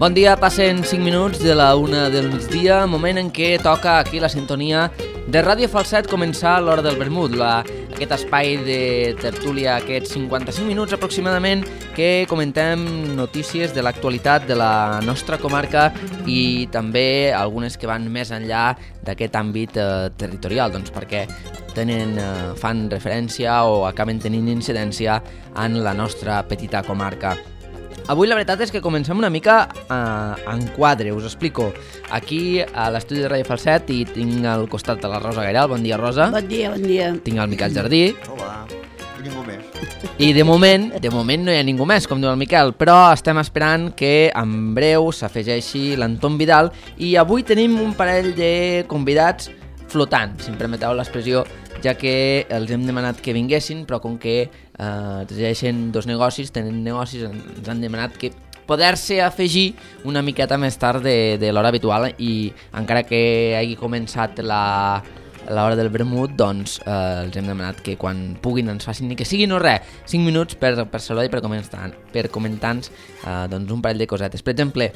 Bon dia, passen 5 minuts de la 1 del migdia, moment en què toca aquí la sintonia de Ràdio Falset començar l'Hora del Vermut, aquest espai de tertúlia, aquests 55 minuts aproximadament que comentem notícies de l'actualitat de la nostra comarca i també algunes que van més enllà d'aquest àmbit territorial, doncs perquè fan referència o acaben tenint incidència en la nostra petita comarca. Avui la veritat és que comencem una mica en quadre, us explico. Aquí a l'estudi de Ràdio Falset i tinc al costat de la Rosa Gairal. Bon dia, Rosa. Bon dia, bon dia. Tinc el Miquel Jardí. Hola, i ningú més. I de moment no hi ha ningú més, com diu el Miquel, però estem esperant que en breu s'afegeixi l'Anton Vidal i avui tenim un parell de convidats flotants, si em permeteu l'expressió, ja que els hem demanat que vinguessin, però com que tenen dos negocis, ens han demanat que poder-se afegir una miqueta més tard de l'hora habitual i encara que hagi començat l'hora del vermut, doncs els hem demanat que quan puguin ens facin ni que sigui no res, 5 minuts per saludar i per comentar-nos doncs un parell de cosetes. Per exemple,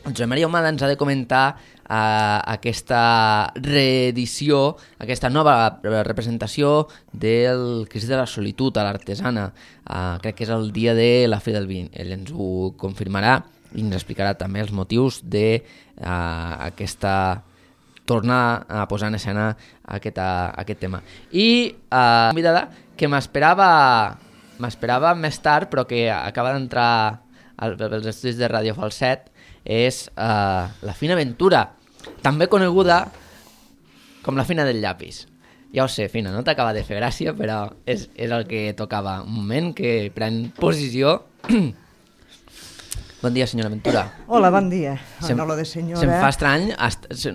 Josep Maria Humada ens ha de comentar aquesta reedició, aquesta nova representació del Crist de la Solitud a l'Artesana. Crec que és el dia de la Fira del Vi. Ell ens ho confirmarà i ens explicarà també els motius d'aquesta tornar a posar en escena aquest tema. I una convidada que m'esperava més tard, però que acaba d'entrar als estudis de Ràdio Falset, és la Fina Ventura, també coneguda com la Fina del Llapis. Ja ho sé, Fina, no t'acaba de fer gràcia, però és el que tocava. Un moment que pren posició. Bon dia, senyora Ventura. Hola, bon dia. No, lo de senyora... Se'm fa estrany.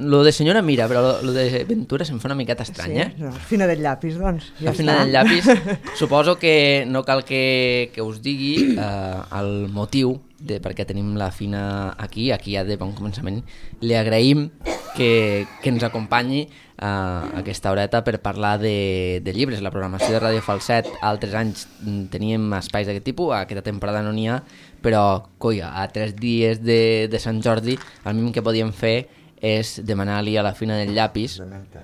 Lo de senyora mira, però lo de Ventura se'm fa una miqueta estrany, sí, no, Fina del Llapis, doncs. Ja la Fina del Llapis. Suposo que no cal que us digui el motiu de per què tenim la Fina aquí ja de bon començament. Li agraïm que ens acompanyi aquesta horeta per parlar de llibres. La programació de Ràdio Falset altres anys teníem espais d'aquest tipus, aquesta temporada no n'hi ha, però colla, a 3 dies de Sant Jordi el mínim que podíem fer és demanar-li a la Fina del Llapis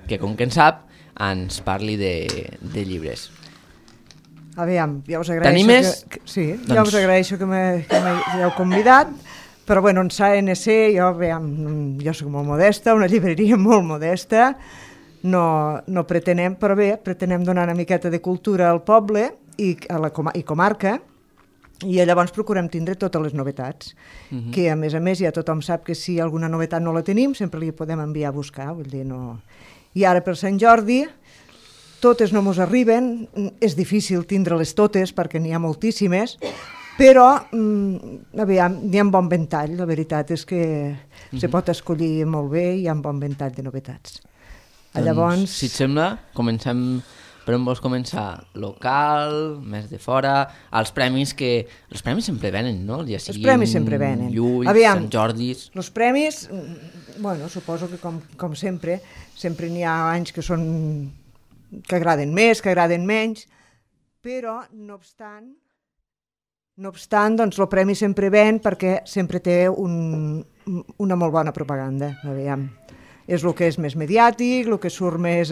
que, com que en sap, ens parli de llibres. Aviam, ja us agraeixo ja us agraeixo que m'heu convidat, però bueno, en SANC jo soc molt modesta, una llibreria molt modesta, no pretenem, però bé, pretenem donar una miqueta de cultura al poble i comarca, i llavors procurem tindre totes les novetats, que a més ja tothom sap que si alguna novetat no la tenim sempre li podem enviar a buscar, vull dir, no... I ara per Sant Jordi totes no mos arriben, és difícil tindre-les totes perquè n'hi ha moltíssimes, però aviam, n'hi ha un bon ventall, la veritat és que se pot escollir molt bé i hi ha un bon ventall de novetats. Llavors, si et sembla, comencem per on vols començar? Local, més de fora, els premis sempre venen, no? Ja els premis sempre venen. Lluís, Sant Jordis... Els premis, bueno, suposo que com sempre n'hi ha anys que agraden més, que agraden menys, però no obstant, doncs el premi sempre ven perquè sempre té una molt bona propaganda. Aviam. És el que és més mediàtic, el que surt més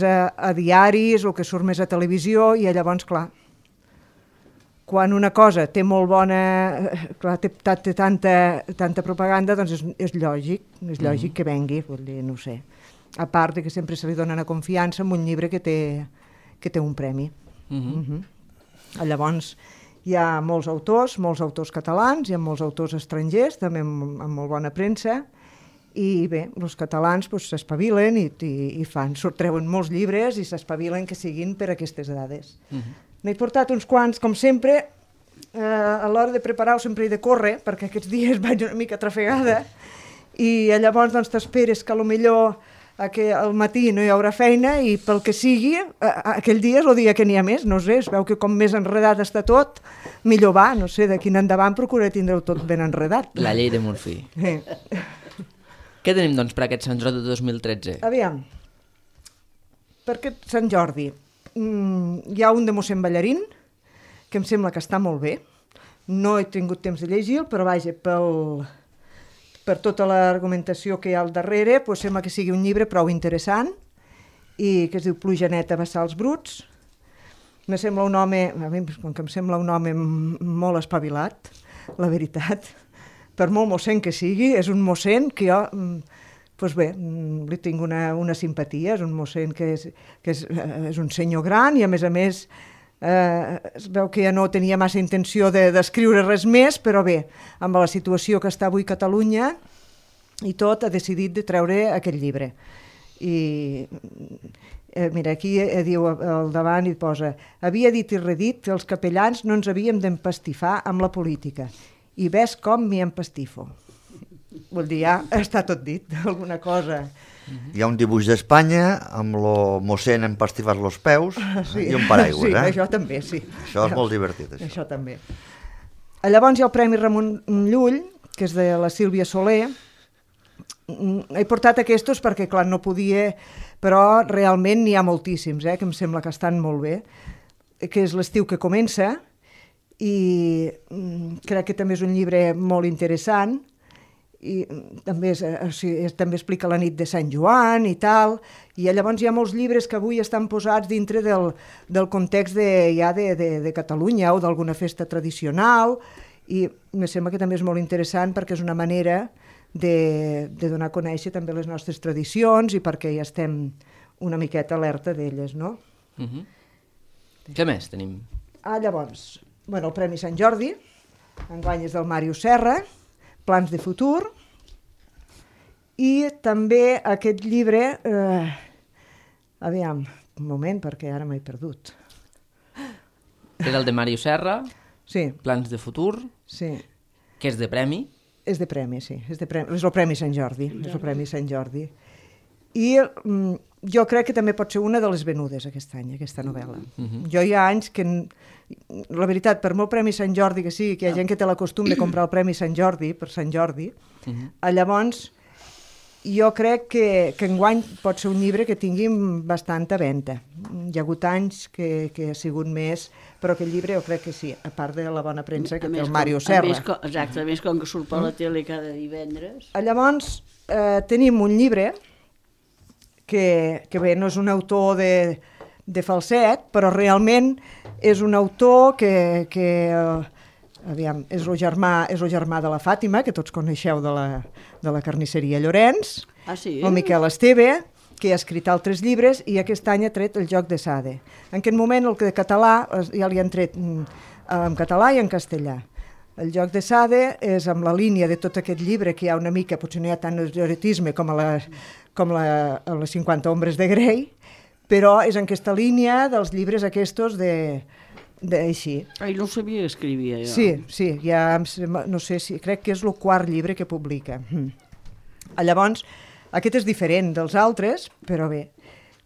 a diaris, el que surt més a televisió, i llavors, clar, quan una cosa té molt bona, clar, té tanta propaganda, doncs és lògic que vengui, vull dir, no ho sé. A part que sempre se li dona una confiança en un llibre que té un premi. Llavors, hi ha molts autors catalans, hi ha molts autors estrangers, també amb molt bona premsa, i bé, els catalans s'espavilen i treuen molts llibres i s'espavilen que siguin per aquestes dades. N'he portat uns quants, com sempre, a l'hora de preparar-ho sempre he de córrer, perquè aquests dies vaig una mica trafegada, i llavors doncs t'esperes que potser al matí no hi haurà feina i pel que sigui, aquell dia és el dia que n'hi ha més, no sé, es veu que com més enredat està tot, millor va, no sé, d'aquí en endavant procuraré tindre-ho tot ben enredat. La llei de Murphy. Què tenim, doncs, per aquest Sant Jordi de 2013? Aviam, per aquest Sant Jordi hi ha un de mossèn Ballarín, que em sembla que està molt bé, no he tingut temps de llegir-lo, però vaja, per tota l'argumentació que hi ha al darrere, doncs sembla que sigui un llibre prou interessant i que es diu Pluja neta, bassals bruts. Me sembla un home, a mi com que em sembla un home molt espavilat, la veritat, per molt mossèn que sigui, és un mossèn que jo, doncs bé, li tinc una simpatia, és un mossèn que és un senyor gran i a més es veu que ja no tenia massa intenció d'escriure res més, però bé, amb la situació que està avui Catalunya i tot, ha decidit de treure aquest llibre. I mira, aquí diu al davant i posa: havia dit i redit que els capellans no ens havíem d'empastifar amb la política i ves com m'hi empastifo. Vol dir, ja està tot dit, alguna cosa. Hi ha un dibuix d'Espanya amb lo mossèn empastifat los peus i un paraigües. Sí, això també, sí. Això és molt divertit, això. Això també. Llavors hi ha el Premi Ramon Llull, que és de la Sílvia Soler. He portat aquests perquè, clar, no podia, però realment n'hi ha moltíssims, que em sembla que estan molt bé, que és L'estiu que comença, i crec que també és un llibre molt interessant, i també, també explica la nit de Sant Joan i tal, i llavors hi ha molts llibres que avui estan posats dintre del context de Catalunya o d'alguna festa tradicional, i em sembla que també és molt interessant perquè és una manera de donar a conèixer també les nostres tradicions i perquè ja estem una miqueta alerta d'elles, no? Què més tenim? Llavors, el Premi Sant Jordi, enguany és del Màrius Serra, Plans de futur, i també aquest llibre, aviam, un moment, perquè ara m'he perdut. És el de Màrius Serra, sí. Plans de futur, sí. Que és de premi. És de premi, sí, és el Premi Sant Jordi, és el Premi Sant Jordi. I jo crec que també pot ser una de les venudes aquest any, aquesta novel·la. Jo hi ha anys que, la veritat, per molt Premi Sant Jordi que sigui, que hi ha gent que té la costum de comprar el Premi Sant Jordi, per Sant Jordi, llavors jo crec que enguany pot ser un llibre que tingui bastanta venda. Hi ha hagut anys que ha sigut més, però aquest llibre jo crec que sí, a part de la bona premsa que té el Màrius Serra. Exacte, a més com que surt per la tele cada divendres. Llavors tenim un llibre que bé, no és un autor de falset, però realment és un autor que aviam, és el germà de la Fàtima, que tots coneixeu de la carnisseria Llorenç, sí? El Miquel Esteve, que ha escrit altres llibres i aquest any ha tret El joc de Sade. En aquest moment el de català ja li han tret en català i en castellà. El joc de Sade és amb la línia de tot aquest llibre que hi ha una mica, potser no hi ha tant erotisme com a les 50 ombres de Grey, però és en aquesta línia dels llibres aquests així. No sabia que escrivia, jo. Sí, ja no sé si, crec que és el quart llibre que publica. Llavors, aquest és diferent dels altres, però bé.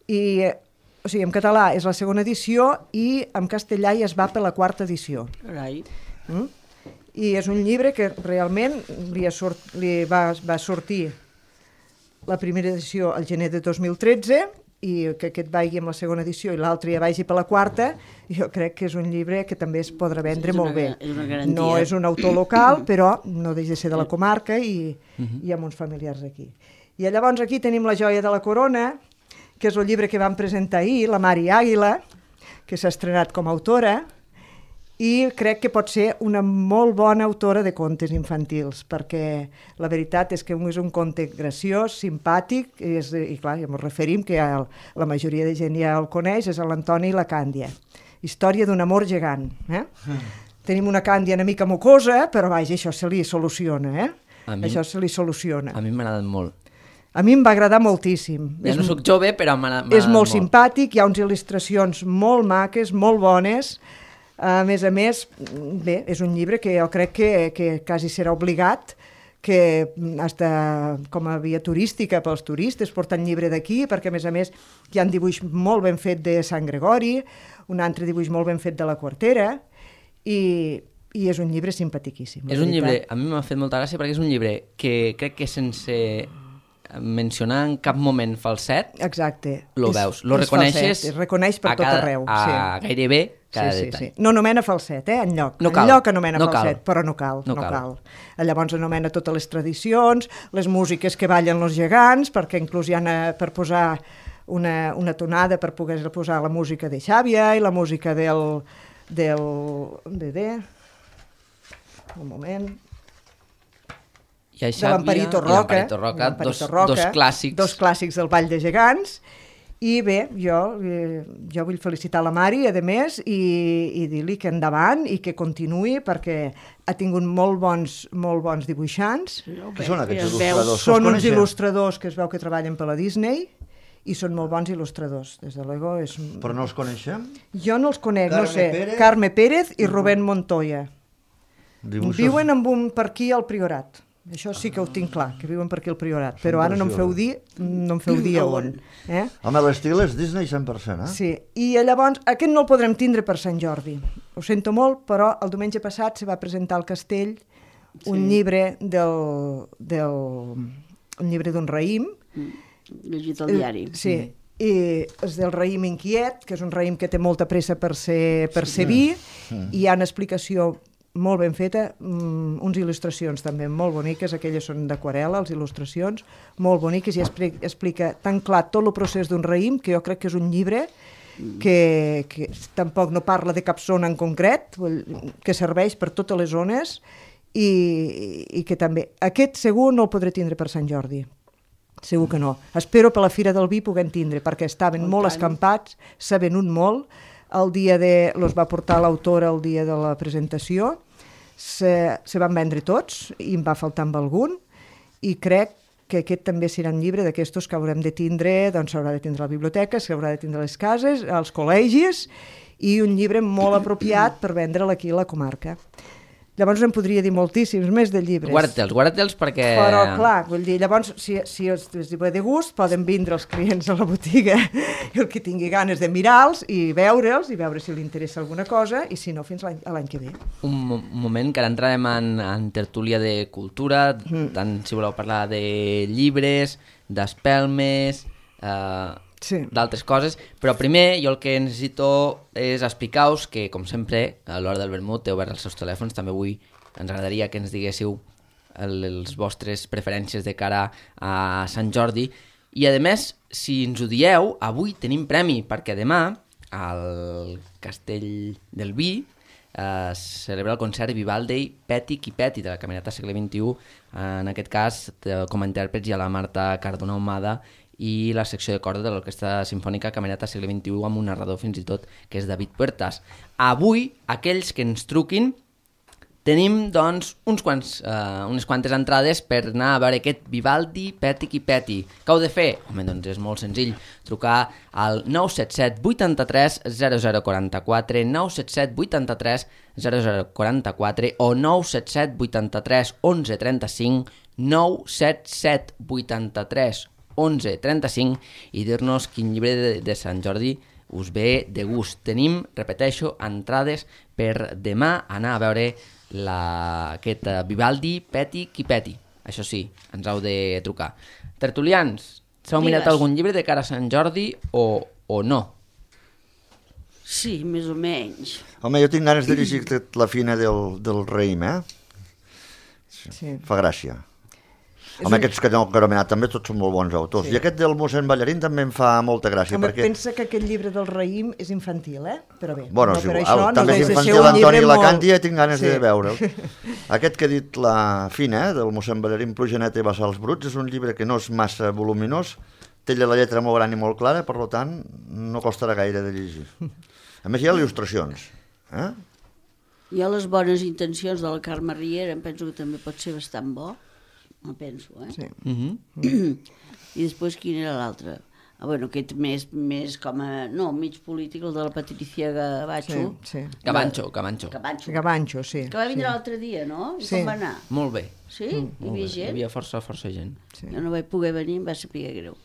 O sigui, en català és la segona edició i en castellà ja es va per la quarta edició. Carai. I és un llibre que realment li va sortir la primera edició al gener de 2013 i que aquest vagi amb la segona edició i l'altre ja vagi per la quarta, jo crec que és un llibre que també es podrà vendre molt bé. No és un autor local, però no deixa de ser de la comarca i hi ha uns familiars aquí. I llavors aquí tenim La joia de la corona, que és el llibre que vam presentar ahir, la Mari Àguila, que s'ha estrenat com a autora, i crec que pot ser una molt bona autora de contes infantils, perquè la veritat és que és un conte graciós, simpàtic, i clar, ja ens referim que la majoria de gent ja el coneix, és l'Antoni i la Càndia. Història d'un amor gegant. Tenim una Càndia una mica mocosa, però vaja, això se li soluciona. Això se li soluciona. A mi m'ha agradat molt. A mi em va agradar moltíssim. Ja no soc jove, però m'ha agradat molt. És molt simpàtic, hi ha unes il·lustracions molt maques, molt bones. A més, bé, és un llibre que jo crec que quasi serà obligat, que com a via turística pels turistes porten llibre d'aquí, perquè a més hi ha un dibuix molt ben fet de Sant Gregori, un altre dibuix molt ben fet de la Quartera, i és un llibre simpatiquíssim. És un llibre, a mi m'ha fet molta gràcia perquè és un llibre que crec que sense mencionar en cap moment falset, exacte. Lo veus, lo reconeixes, es reconeix per tot arreu. Gairebé cada detall. No anomena falset, enlloc. No cal. Enlloc anomena No falset, cal. però no cal. Llavors anomena totes les tradicions, les músiques que ballen els gegants, perquè inclús hi ha per posar una tonada per poder posar la música de Xàbia i la música del un moment... de l'Amparito Roca, dos clàssics. Dos clàssics del Ball de Gegants. I bé, jo vull felicitar la Mari, a més, i dir-li que endavant i que continuï, perquè ha tingut molt bons dibuixants. Qui són aquests il·lustradors? Són uns il·lustradors que es veu que treballen per la Disney i són molt bons il·lustradors. Des de luego és... Però no els coneixem? Jo no els conec, no sé. Carme Pérez i Rubén Montoya. Viuen per aquí al Priorat. Això sí que ho tinc clar, que viuen per aquí al Priorat, però ara no em feu dir on. Home, l'estil és Disney 100%, Sí, i llavors aquest no el podrem tindre per Sant Jordi. Ho sento molt, però el diumenge passat se va presentar al Castell un llibre un llibre d'un raïm. Llegit al diari. Sí, i és del raïm inquiet, que és un raïm que té molta pressa per ser vi, i hi ha una explicació molt ben feta, uns il·lustracions també molt boniques, aquelles són d'aquarel·la, les il·lustracions, molt boniques, i explica tan clar tot el procés d'un raïm, que jo crec que és un llibre que tampoc no parla de cap zona en concret, que serveix per totes les zones, i que també... Aquest segur no el podré tindre per Sant Jordi. Segur que no. Espero per la Fira del Vi puguem tindre, perquè estaven molt escampats, s'ha venut molt. Los va portar l'autora el dia de la presentació, se van vendre tots i em va faltar amb algun, i crec que aquest també serà un llibre d'aquestos que haurem de tindre, doncs s'haurà de tindre a la biblioteca, s'haurà de tindre a les cases, als col·legis, i un llibre molt apropiat per vendre'l aquí a la comarca. Llavors em podria dir moltíssims més de llibres. Guarda-te'ls perquè... Però, clar, vull dir, llavors, si els ve de gust, poden vindre els clients a la botiga, el que tingui ganes de mirar-los i veure'ls, i veure si li interessa alguna cosa, i si no, fins l'any que ve. Un moment, que ara entrarem en tertúlia de cultura, tant si voleu parlar de llibres, d'espelmes... d'altres coses, però primer jo el que necessito és explicar-vos que, com sempre, a l'hora del vermut té obert els seus telèfons. També avui ens agradaria que ens diguéssiu les vostres preferències de cara a Sant Jordi, i a més, si ens ho dieu, avui tenim premi, perquè demà al Castell del Vi es celebra el concert Vivaldi Peti qui Peti de la Camerata Segle XXI, en aquest cas com a intèrprets hi ha la Marta Cardona Ahumada i la secció de corda de l'Orquestra Simfònica Camerata Segle XXI, amb un narrador fins i tot que és David Puertas. Avui, aquells que ens truquin, tenim doncs unes quantes entrades per anar a veure aquest Vivaldi Peti qui Peti. Què heu de fer? Home, doncs és molt senzill, trucar al 977 83 0044, 977 83 0044 o 977 83 11 35, 977 83 11:35 i dir-nos quin llibre de Sant Jordi us ve de gust. Tenim, repeteixo, entrades per demà anar a veure aquest Vivaldi Peti qui Peti. Això sí, ens heu de trucar. Tertulians, s'heu mirat algun llibre de cara a Sant Jordi o no? Sí, més o menys. Home, jo tinc ganes de llegir La fina del raïm, Sí. Fa gràcia. Home, aquests que no he anomenat també tots són molt bons autors. Sí. I aquest del mossèn Ballarín també em fa molta gràcia. Home, pensa que aquest llibre del raïm és infantil, però bé. Bueno, no, és igual. També és infantil Antoni Lacanti, i tinc ganes de veure'l. Aquest que he dit, La fina, del mossèn Ballarín, Plujaneta i Bassals Bruts, és un llibre que no és massa voluminós, té la lletra molt gran i molt clara, per tant, no costarà gaire de llegir. A més, hi ha il·lustracions. Hi ha les bones intencions de la Carme Riera, em penso que també pot ser bastant bo. No penso, Sí. I després quin era l'altre? Bueno, aquest més com a... No, mig polític, el de la Patricia Gavancho. Sí. Gavancho, sí. Que va vindre l'altre dia, no? I com va anar? Molt bé. Sí? Hi havia gent? Hi havia força gent. Jo no vaig poder venir, em va saber greu.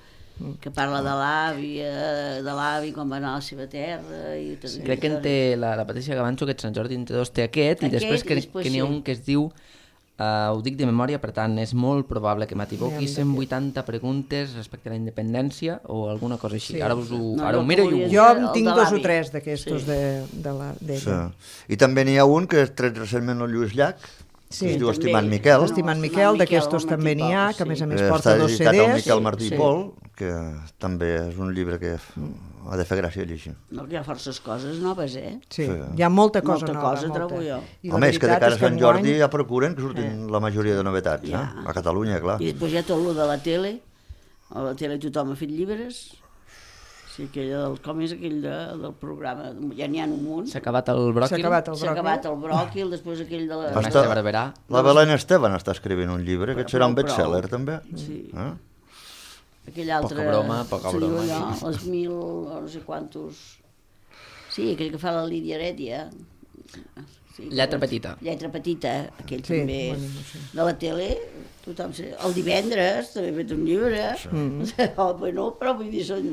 Que parla de l'avi, quan va anar a la seva terra... Crec que en té la Patricia Gavancho, aquest Sant Jordi en té dos, té aquest, i després que n'hi ha un que es diu ho dic de memòria, per tant, és molt probable que m'equivoqui, 180 preguntes respecte a la independència o alguna cosa així. Ara ho miro i ho... Jo en tinc 2 o 3 d'aquestos d'ella. I també n'hi ha un que és tret recentment el Lluís Llach, que es diu Estimant Miquel. Estimant Miquel, d'aquestos també n'hi ha, que a més porta 2 CDs. Està editat el Miquel Martí i Pol, que també és un llibre que ha de fer gràcia llegir. No, que hi ha forces coses noves, Sí, hi ha molta cosa nova. Trobo jo. Home, és que de cara a Sant Jordi ja procuren que surtin la majoria de novetats, a Catalunya, clar. I després hi ha tot el de la tele, a la tele tothom ha fet llibres, sí, com és aquell del programa, ja n'hi ha un munt. S'ha acabat el bròquil. S'ha acabat el bròquil, després aquell de la... Mestre Barberà. La Belén Esteban està escrivint un llibre, aquest serà un best-seller, també. Sí. Aquell altre... Poca broma. Allò, les 1000, no sé quantos... Sí, aquell que fa la Lídia Heredia. Sí, Lletra petita. Lletra petita, aquell també. De la tele, tothom... El divendres també he fet un llibre. Bueno, però vull dir, són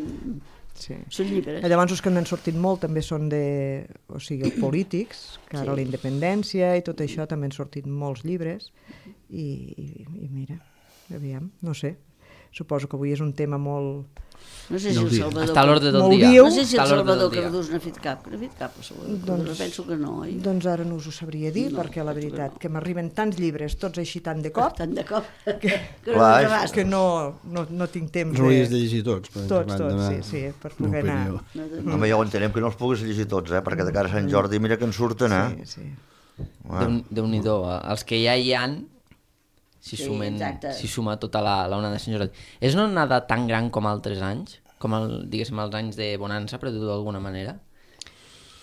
llibres. Llavors els que n'han sortit molt també són els polítics, que ara la independència i tot això també han sortit molts llibres i mira, aviam, no sé. Suposo que avui és un tema molt... No sé si el Salvador... Està a l'ordre del dia. No sé si el Salvador Cardús n'ha fet cap. N'ha fet cap, el Salvador Cardús. Penso que no, oi? Doncs ara no us ho sabria dir, perquè la veritat que m'arriben tants llibres, tots així tant de cop, que no tinc temps de... No hauries de llegir tots. Tots, sí, per poder anar... Home, ja ho entenem que no els puguis llegir tots, perquè de cara a Sant Jordi mira que en surten, Sí. Déu-n'hi-do, els que ja hi han... Si suma tota l'onada de Sant Jordi. És una onada tan gran com altres anys? Com, diguéssim, els anys de bonança, per dir-ho d'alguna manera?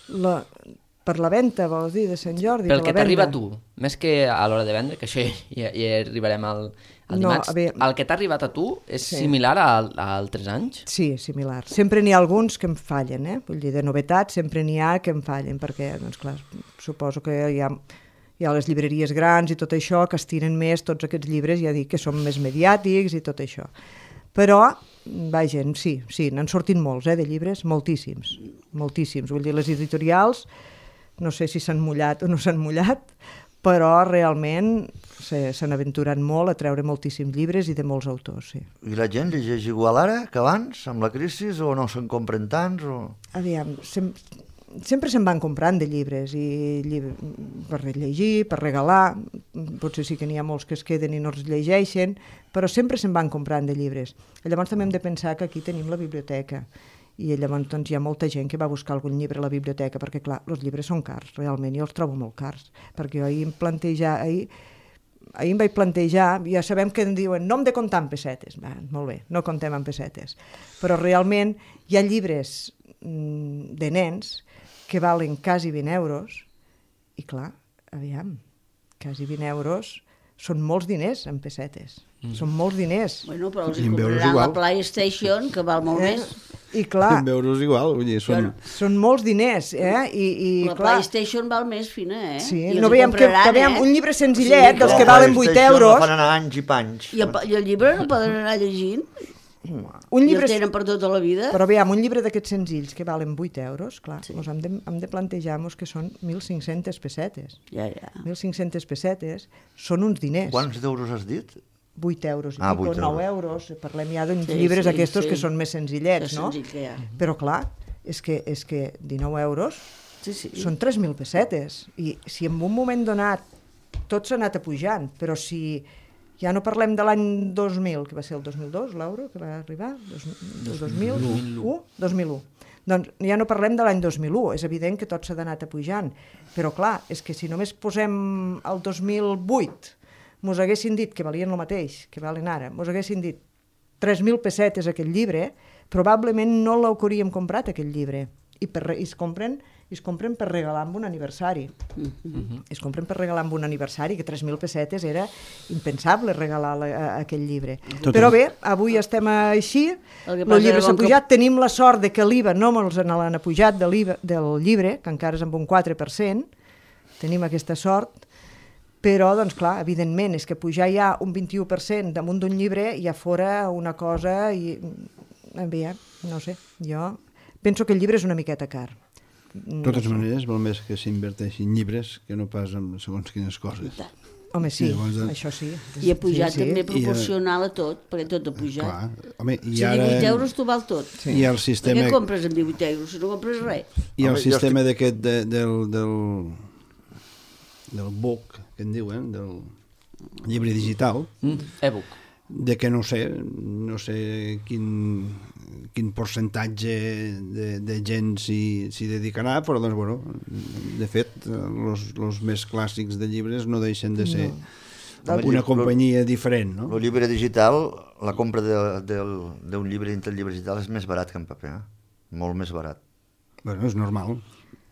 Per la venda, vols dir, de Sant Jordi? Pel que t'arriba a tu, més que a l'hora de vendre, que això ja arribarem al dimarts. El que t'ha arribat a tu és similar a altres anys? Sí, similar. Sempre n'hi ha alguns que em fallen, Vull dir, de novetat sempre n'hi ha que em fallen, perquè, doncs clar, suposo que hi ha les llibreries grans i tot això que estiren més tots aquests llibres, ja dic que són més mediàtics i tot això. Però, vaja, sí, n'han sortit molts, de llibres, moltíssims. Vull dir, les editorials, no sé si s'han mullat o no s'han mullat, però realment s'han aventurat molt a treure moltíssims llibres i de molts autors, sí. I la gent llegeix igual ara que abans, amb la crisi, o no se'n compren tants? Aviam, sempre se'n van comprant de llibres per llegir, per regalar, potser sí que n'hi ha molts que es queden i no els llegeixen, però sempre se'n van comprant de llibres. Llavors també hem de pensar que aquí tenim la biblioteca i llavors doncs, hi ha molta gent que va buscar algun llibre a la biblioteca perquè clar, els llibres són cars, realment, jo els trobo molt cars, perquè ahir em vaig plantejar, ja sabem que em diuen no hem de comptar en pessetes, molt bé, no comptem en pessetes, però realment hi ha llibres de nens que valen quasi 20 euros i clar, aviam, quasi 20 euros són molts diners en pessetes, són molts diners. Bueno, però els compraran la PlayStation, que val molt més. I clar... 20 euros igual, vull dir, són molts diners, La PlayStation val més fina, Sí, no veiem que un llibre senzillet, dels que valen 8 euros... La fan anar anys i panys. I el llibre no poden anar llegint? Un llibre... I el tenen per tota la vida? Però aviam, un llibre d'aquests senzills que valen 8 euros, clar, hem de plantejar-nos que són 1.500 pessetes. Ja. 1.500 pessetes són uns diners. Quants d'euros has dit? 8 euros i pico, 9 euros. Parlem ja d'uns llibres aquests que són més senzillets, no? Però clar, és que 19 euros són 3.000 pessetes. I si en un moment donat tot s'ha anat apujant, però si... Ja no parlem de l'any 2000, que va ser el 2002, l'euro, que va arribar, 2001. Doncs ja no parlem de l'any 2001, és evident que tot s'ha anat apujant, però clar, és que si només posem el 2008, mos haguessin dit que valien el mateix, que valen ara, mos haguessin dit 3.000 pessetes aquest llibre, probablement no l'hauríem comprat aquest llibre, i es compren per regalar amb un aniversari. Es compren per regalar amb un aniversari, que 3.000 pessetes era impensable regalar aquell llibre. Però bé, avui estem així, el llibre s'ha pujat, tenim la sort de que l'IVA no ens l'han apujat del llibre, que encara és amb un 4%, tenim aquesta sort, però, doncs clar, evidentment, és que pujar ja un 21% damunt d'un llibre ja fora una cosa... Bé, no sé, jo penso que el llibre és una miqueta car. De totes maneres, val més que s'inverteixin llibres que no pas en segons quines coses. Home, sí, això sí. I ha pujat també proporcional a tot, perquè tot ha pujat. Si 18 euros t'ho val tot. I el sistema... Què compres amb 18 euros si no compres res? I el sistema d'aquest del book, que en diuen, del llibre digital, e-book, de que no sé quin percentatge de gent s'hi dedicarà, però doncs, bueno, de fet, els més clàssics de llibres no deixen de ser una companyia diferent, no? El llibre digital, la compra d'un llibre dintre el llibre digital és més barat que en paper, molt més barat. Bueno, és normal.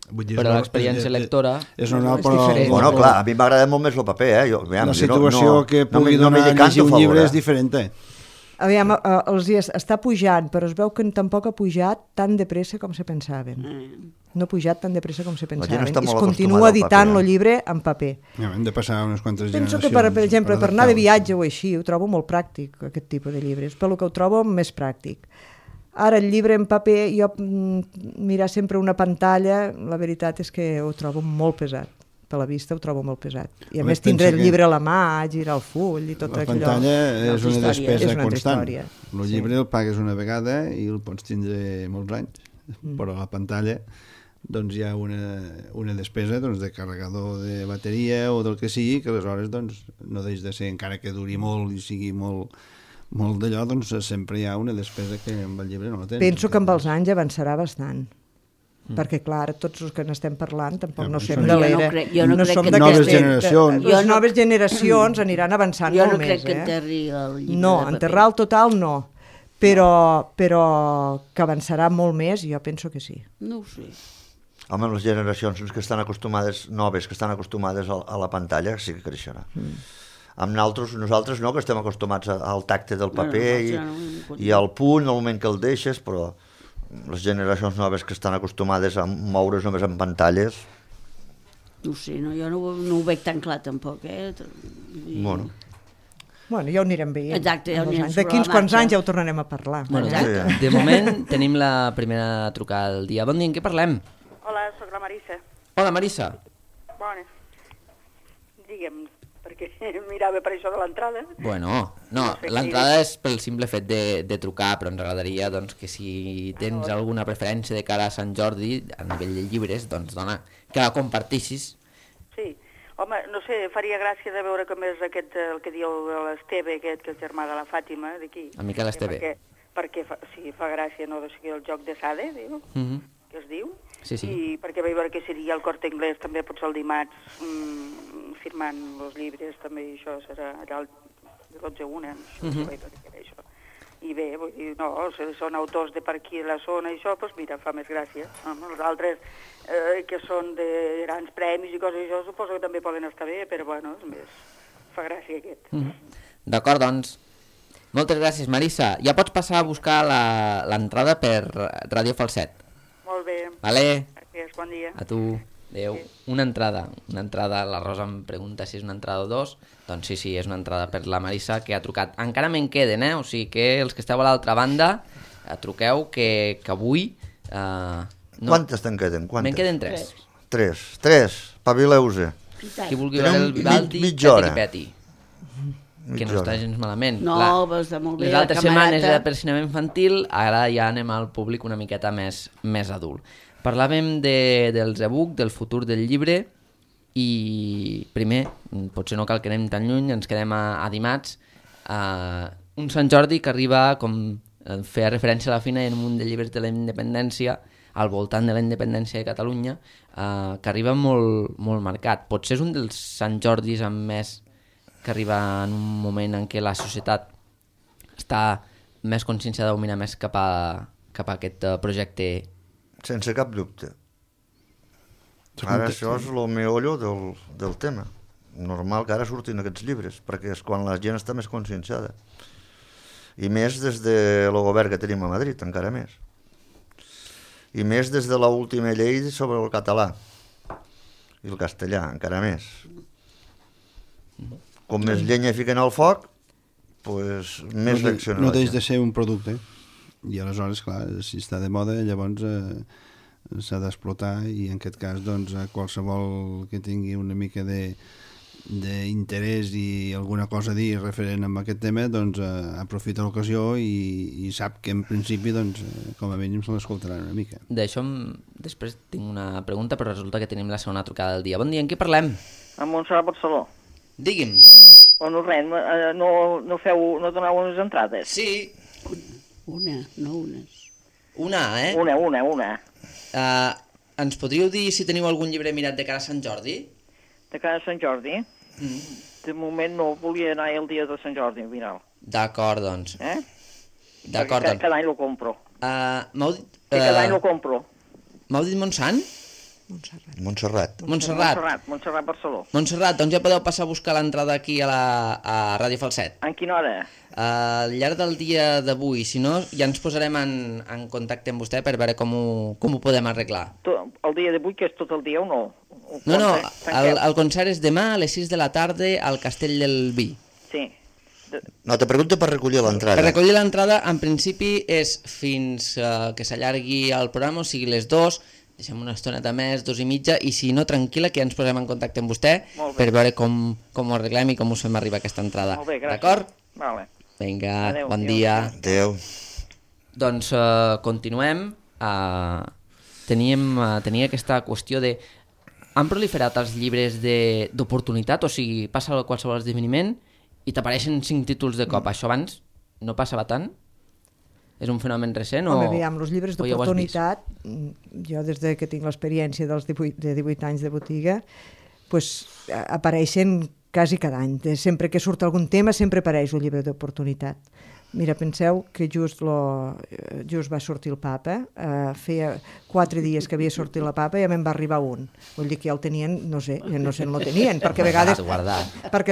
Però l'experiència lectora és normal, però... Bueno, clar, a mi m'agrada molt més el paper, la situació que pugui donar a llegir un llibre és diferent, Aviam, està pujant, però es veu que tampoc ha pujat tan de pressa com se pensaven. No ha pujat tan de pressa com se pensaven. I es continua editant el llibre en paper. Hem de passar unes quantes generacions. Penso que, per exemple, per anar de viatge o així, ho trobo molt pràctic, aquest tipus de llibres, pel que ho trobo més pràctic. Ara, el llibre en paper, jo mirar sempre una pantalla, la veritat és que ho trobo molt pesat. Per la vista ho trobo molt pesat. I a més tindré el llibre a la mà, girar el full i tot allò. La pantalla és una despesa constant. El llibre el pagues una vegada i el pots tindre molts anys. Però a la pantalla doncs hi ha una despesa de carregador de bateria o del que sigui, que aleshores no deix de ser, encara que duri molt i sigui molt d'allò, doncs sempre hi ha una despesa que amb el llibre no la tens. Penso que amb els anys avançarà bastant. Perquè, clar, tots els que n'estem parlant tampoc no som de l'era. No som noves generacions. Les noves generacions aniran avançant molt més. Jo no crec que enterri el llibre de paper. No, enterrar el total no. Però que avançarà molt més, jo penso que sí. No ho sé. Home, les generacions que estan acostumades, noves, que estan acostumades a la pantalla, sí que creixerà. Amb nosaltres no, que estem acostumats al tacte del paper i al punt, al moment que el deixes, però les generacions noves que estan acostumades a moure's només en pantalles... No sé, jo no ho veig tan clar tampoc, Bueno, ja ho anirem veient. Exacte, ja ho anirem d'aquí uns quants anys ja ho tornarem a parlar. Bueno, de moment tenim la primera trucada del dia. Bon dia, en què parlem? Hola, soc la Marissa. Hola, Marissa. Bona. Digue'm, perquè mirava per això de l'entrada. Bueno, no, l'entrada és pel simple fet de trucar, però ens agradaria doncs, que si tens alguna preferència de cara a Sant Jordi, a nivell de llibres, doncs dona, que la compartissis. Sí, home, no sé, faria gràcia de veure com és aquest, el que diu l'Esteve, aquest, que és germà de la Fàtima, d'aquí. El Miquel Esteve. Perquè fa gràcia, no?, el joc de Sade, diu, que es diu. Sí. I perquè vaig veure que seria el Corte Inglés també potser el dimarts firmant els llibres també, i això serà allà el 12-1, això. I bé, vull dir, no, són autors de per aquí a la zona i això, doncs mira, fa més gràcia. Els altres que són de grans premis i coses això, suposo que també poden estar bé, però bueno, és més, fa gràcia aquest. D'acord, doncs. Moltes gràcies, Marissa. Ja pots passar a buscar l'entrada per Ràdio Falset. Molt bé. Vale. Gràcies, bon dia. A tu. Adéu. Sí. Una entrada, la Rosa em pregunta si és una entrada o dos, doncs sí, és una entrada per la Marissa que ha trucat. Encara me'n queden, o sigui que els que esteu a l'altra banda, truqueu que avui... No. Quantes te'n queden? Me'n queden 3. 3, pavileu-se. Qui vulgui veure el Vivaldi, peti. Que no està gens malament. No, va estar molt bé. Les altres setmanes era per cinema infantil, ara ja anem al públic una miqueta més adult. Parlàvem dels e-book, del futur del llibre, i primer, potser no cal que anem tan lluny, ens quedem a dimarts, un Sant Jordi que arriba, com feia referència a la fina, en un munt de llibres de la independència, al voltant de la independència de Catalunya, que arriba molt, molt marcat. Potser és un dels Sant Jordis amb més que arriba en un moment en què la societat està més conscienciada de mirar més cap a aquest projecte. Sense cap dubte. Ara això és el meollo del tema. Normal que ara surtin aquests llibres, perquè és quan la gent està més conscienciada. I més des del govern que tenim a Madrid, encara més. I més des de l'última llei sobre el català i el castellà, encara més. Com més llenya fiquen al foc, pues, més reacciona. No deix de ser un producte. I aleshores, clar, si està de moda, llavors s'ha d'explotar, i en aquest cas, doncs, qualsevol que tingui una mica d'interès i alguna cosa a dir referent a aquest tema, doncs aprofita l'ocasió i sap que en principi, doncs, com a mínim se l'escoltaran una mica. D'això després tinc una pregunta, però resulta que tenim la segona trucada del dia. Bon dia, en què parlem? Amb Montserrat Barceló. Digui'm. Bueno, res, no doneu unes entrades? Sí. Una, no unes. Una, eh? Una. Ens podríeu dir si teniu algun llibre mirat de cara a Sant Jordi? De cara a Sant Jordi? De moment no, volia anar el dia de Sant Jordi, al final. D'acord, doncs. D'acord, doncs. Cada any lo compro. M'heu dit... Cada any lo compro. M'heu dit Montsant? Montserrat Barceló. Montserrat, doncs ja podeu passar a buscar l'entrada aquí a Ràdio Falset. En quina hora? Al llarg del dia d'avui, si no, ja ens posarem en contacte amb vostè per veure com ho podem arreglar. El dia d'avui, que és tot el dia o no? No, el concert és demà a les 6 de la tarda al Castell del Vi. Sí. No, te pregunto per recollir l'entrada. Per recollir l'entrada, en principi, és fins que s'allargui el programa, o sigui les 2, deixem una estoneta més, 2:30, i si no, tranquil·la, que ja ens posem en contacte amb vostè per veure com ho arreglem i com us fem arribar aquesta entrada. Molt bé, gràcies. D'acord? Vale. Vinga, adeu, bon dia. Adéu. Doncs continuem. Tenia aquesta qüestió de... Han proliferat els llibres d'oportunitat, o sigui, passa qualsevol esdeveniment i t'apareixen 5 títols de cop. Això abans no passava tant? És un fenomen recent? Home, aviam, els llibres d'oportunitat, jo des que tinc l'experiència de 18 anys de botiga, pues, apareixen quasi cada any. Sempre que surt algun tema sempre apareix un llibre d'oportunitat. Mira, penseu que just va sortir el papa, feia 4 dies que havia sortit la papa i ja me'n va arribar un. Vull dir que ja el tenien, no sé on el tenien, perquè a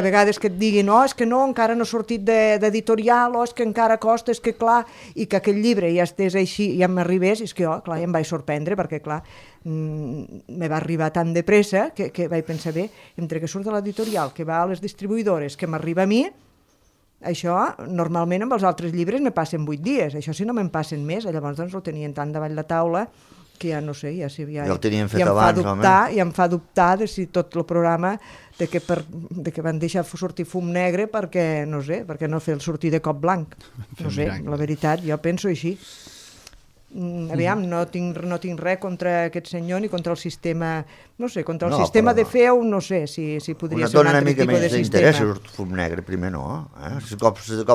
vegades que et diguin és que no, encara no ha sortit d'editorial, és que encara costa, és que clar, i que aquell llibre ja estés així, ja m'arribés, és que clar, ja em vaig sorprendre, perquè clar, me va arribar tan de pressa que vaig pensar bé, entre que surt de l'editorial, que va a les distribuïdores, que m'arriba a mi, això, normalment amb els altres llibres me passen 8 dies, això si no me'n passen més, llavors doncs ho tenien tant davall la taula que ja no sé, ja el tenien fet abans, home. Ja em fa dubtar de si tot el programa de que van deixar sortir fum negre perquè, no sé, perquè no fer el sortir de cop blanc. No sé, la veritat, jo penso així. Aviam, no tinc res contra aquest senyor ni contra el sistema, no sé, contra el sistema de FEU, no sé si podria ser un altre tipus de sistema. Una mica més d'interès surt fum negre primer, no?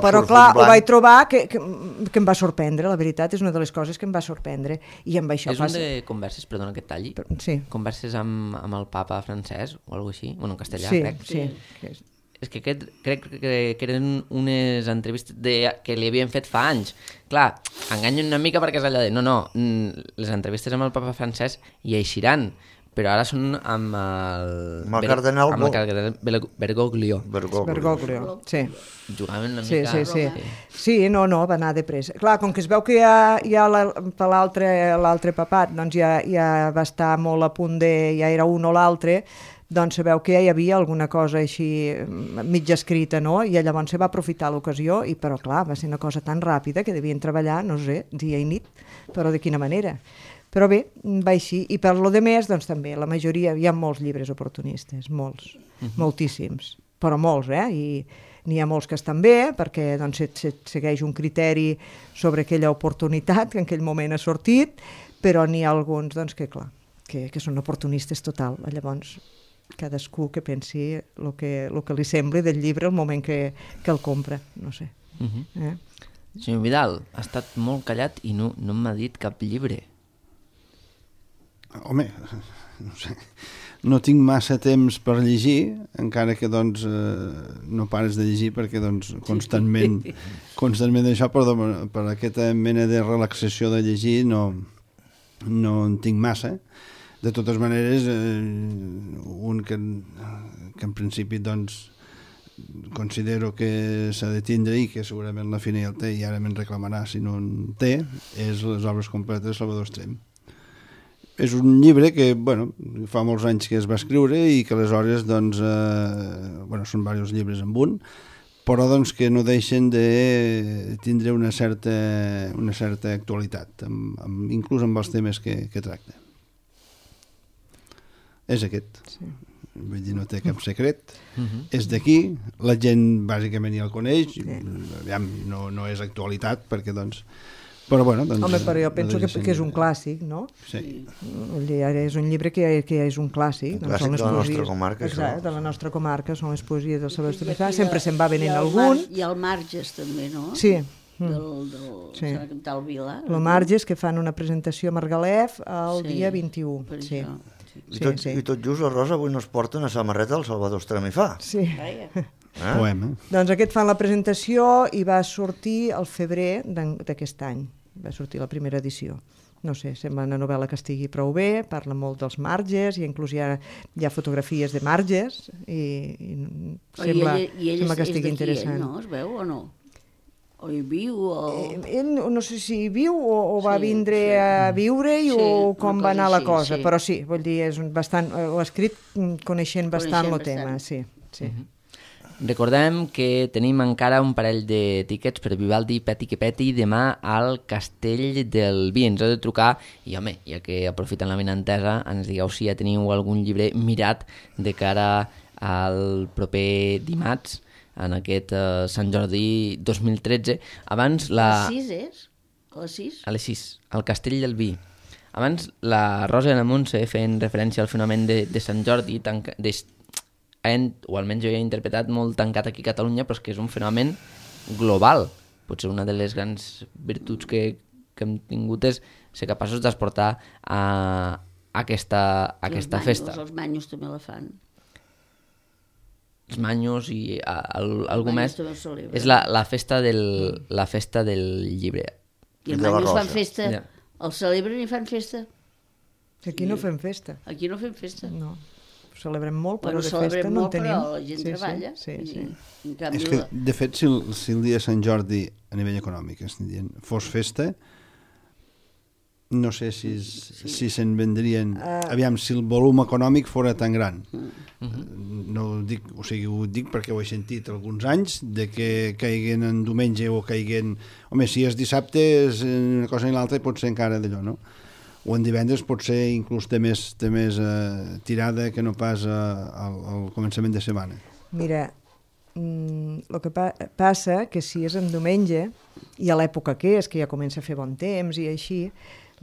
Però clar, ho vaig trobar que em va sorprendre, la veritat, és una de les coses que em va sorprendre. I amb això és un de converses, perdona que et talli, sí. Converses amb el papa francès o alguna cosa així, bueno, en castellà, sí, crec. Sí. És que crec que eren unes entrevistes que li havien fet fa anys. Clar, enganyen una mica perquè és allò de no, les entrevistes amb el papa francès hi eixiran, però ara són amb el cardenal Bergoglio. Bergoglio, sí. Jugaven una mica... Sí, no, va anar de pressa. Clar, com que es veu que ja l'altre papat doncs ja va estar molt a punt ja era un o l'altre, doncs sabeu que ja hi havia alguna cosa així mitja escrita, no? I llavors se va aprofitar l'ocasió, però clar, va ser una cosa tan ràpida que devien treballar, no sé, dia i nit, però de quina manera. Però bé, va així. I per lo de més, doncs també, la majoria, hi ha molts llibres oportunistes, molts, moltíssims, però molts, I n'hi ha molts que estan bé, perquè doncs, se segueix un criteri sobre aquella oportunitat que en aquell moment ha sortit, però n'hi ha alguns, doncs, que clar, que són oportunistes total. Llavors, cadascú que pensi el que li sembli del llibre el moment que el compra, no sé. Senyor Vidal, ha estat molt callat i no m'ha dit cap llibre. Home, no sé, no tinc massa temps per llegir, encara que doncs no pares de llegir perquè doncs constantment això, però per aquesta mena de relaxació de llegir no en tinc massa. De totes maneres, un que en principi doncs considero que s'ha de tindre i que segurament la Fina ja el té i ara me'n reclamarà si no en té, és les obres completes de Salvador Estrem. És un llibre que, fa molts anys que es va escriure i que aleshores, doncs, són diversos llibres en un, però doncs que no deixen de tindre una certa actualitat, inclús amb els temes que tracta. És aquest. Sí. vull dir, no té cap secret. És d'aquí, la gent bàsicament ja el coneix, aviam, no és actualitat, perquè doncs... Però bueno, doncs... Home, però jo penso que és un clàssic, no? Sí. Ara és un llibre que ja és un clàssic. Un clàssic de la nostra comarca. Exacte, de la nostra comarca, són les poesies del Salvador Estornissà, sempre se'n va venent algun. I el Marges també, no? Sí. Del Vila. El Marges, que fan una presentació a Margalef el dia 21. Sí. I tot just la Rosa avui nos porta una samarreta del Salvador Estornissà. Sí. Poema. Doncs aquest fan la presentació i va sortir al febrer d'aquest any. Va sortir la primera edició. No sé, sembla una novel·la que estigui prou bé, parla molt dels marges, i inclús hi ha fotografies de marges, i sembla que estigui interessant. Ell no es veu o no? O hi viu? Ell no sé si hi viu o va vindre a viure-hi o com va anar la cosa, però sí, vull dir, ho ha escrit coneixent bastant el tema, sí. Recordem que tenim encara un parell de tíquets per Vivaldi Peti que Peti demà al Castell del Vi. Ens heu de trucar i, home, ja que aprofiten la benentesa, ens digueu si ja teniu algun llibre mirat de cara al proper dimarts, en aquest Sant Jordi 2013. Abans A les 6 és? A les 6? A les 6, al Castell del Vi. Abans la Rosa i la Montse feien referència al fenomen de Sant Jordi, o almenys jo he interpretat molt tancat aquí a Catalunya, però és que és un fenomen global. Potser una de les grans virtuts que hem tingut és ser capaços d'exportar a aquesta festa. Els manyos també la fan. Els manyos i algú més. És la festa del llibre. I els manyos fan festa. Els celebren i fan festa. Aquí no fem festa. Aquí no fem festa. No. Celebrem molt, però de festa no en tenim. Però la gent treballa. És que, de fet, si el dia de Sant Jordi, a nivell econòmic, fos festa, no sé si se'n vendrien... Aviam, si el volum econòmic fora tan gran. No ho dic, ho dic perquè ho he sentit alguns anys, de que caiguen en diumenge o caiguen... Home, si és dissabte, és una cosa i l'altra, pot ser encara d'allò, no? O en divendres potser inclús té més tirada que no pas al començament de setmana. Mira, el que passa que si és en diumenge, i a l'època que ja comença a fer bon temps i així,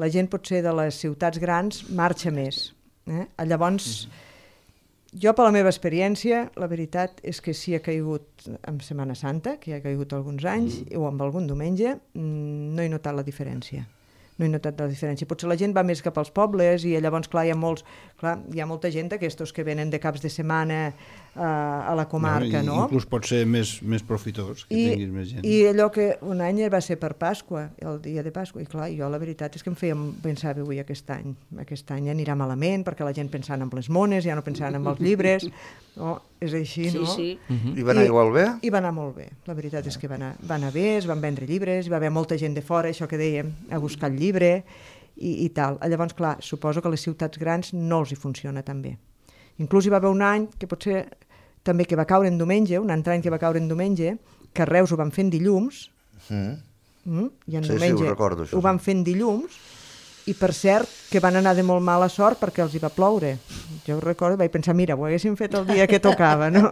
la gent potser de les ciutats grans marxa més. Llavors, jo per la meva experiència, la veritat és que si ha caigut en Setmana Santa, que ha caigut alguns anys, o amb algun diumenge, no he notat la diferència. No he notat la diferència. Potser la gent va més cap als pobles i llavors, clar, hi ha molta gent d'aquestos que venen de caps de setmana a la comarca, no? Inclús pot ser més profitós, que tinguis més gent. I allò que un any va ser per Pasqua, el dia de Pasqua, i clar, jo la veritat és que em feia pensar, avui aquest any anirà malament, perquè la gent pensant en les mones, ja no pensant en els llibres, és així, no? Sí. I va anar igual bé? I va anar molt bé, la veritat és que va anar bé, es van vendre llibres, hi va haver molta gent de fora, això que dèiem, a buscar el llibre i tal. Llavors, clar, suposo que a les ciutats grans no els hi funciona tan bé. Inclús hi va haver un any que potser també que va caure en diumenge, un altre any que va caure en diumenge, que a Reus ho van fer en dilluns, i en diumenge ho van fer en dilluns, i per cert que van anar de molt mala sort perquè els hi va ploure. Jo recordo, vaig pensar, mira, ho haguéssim fet el dia que tocava, no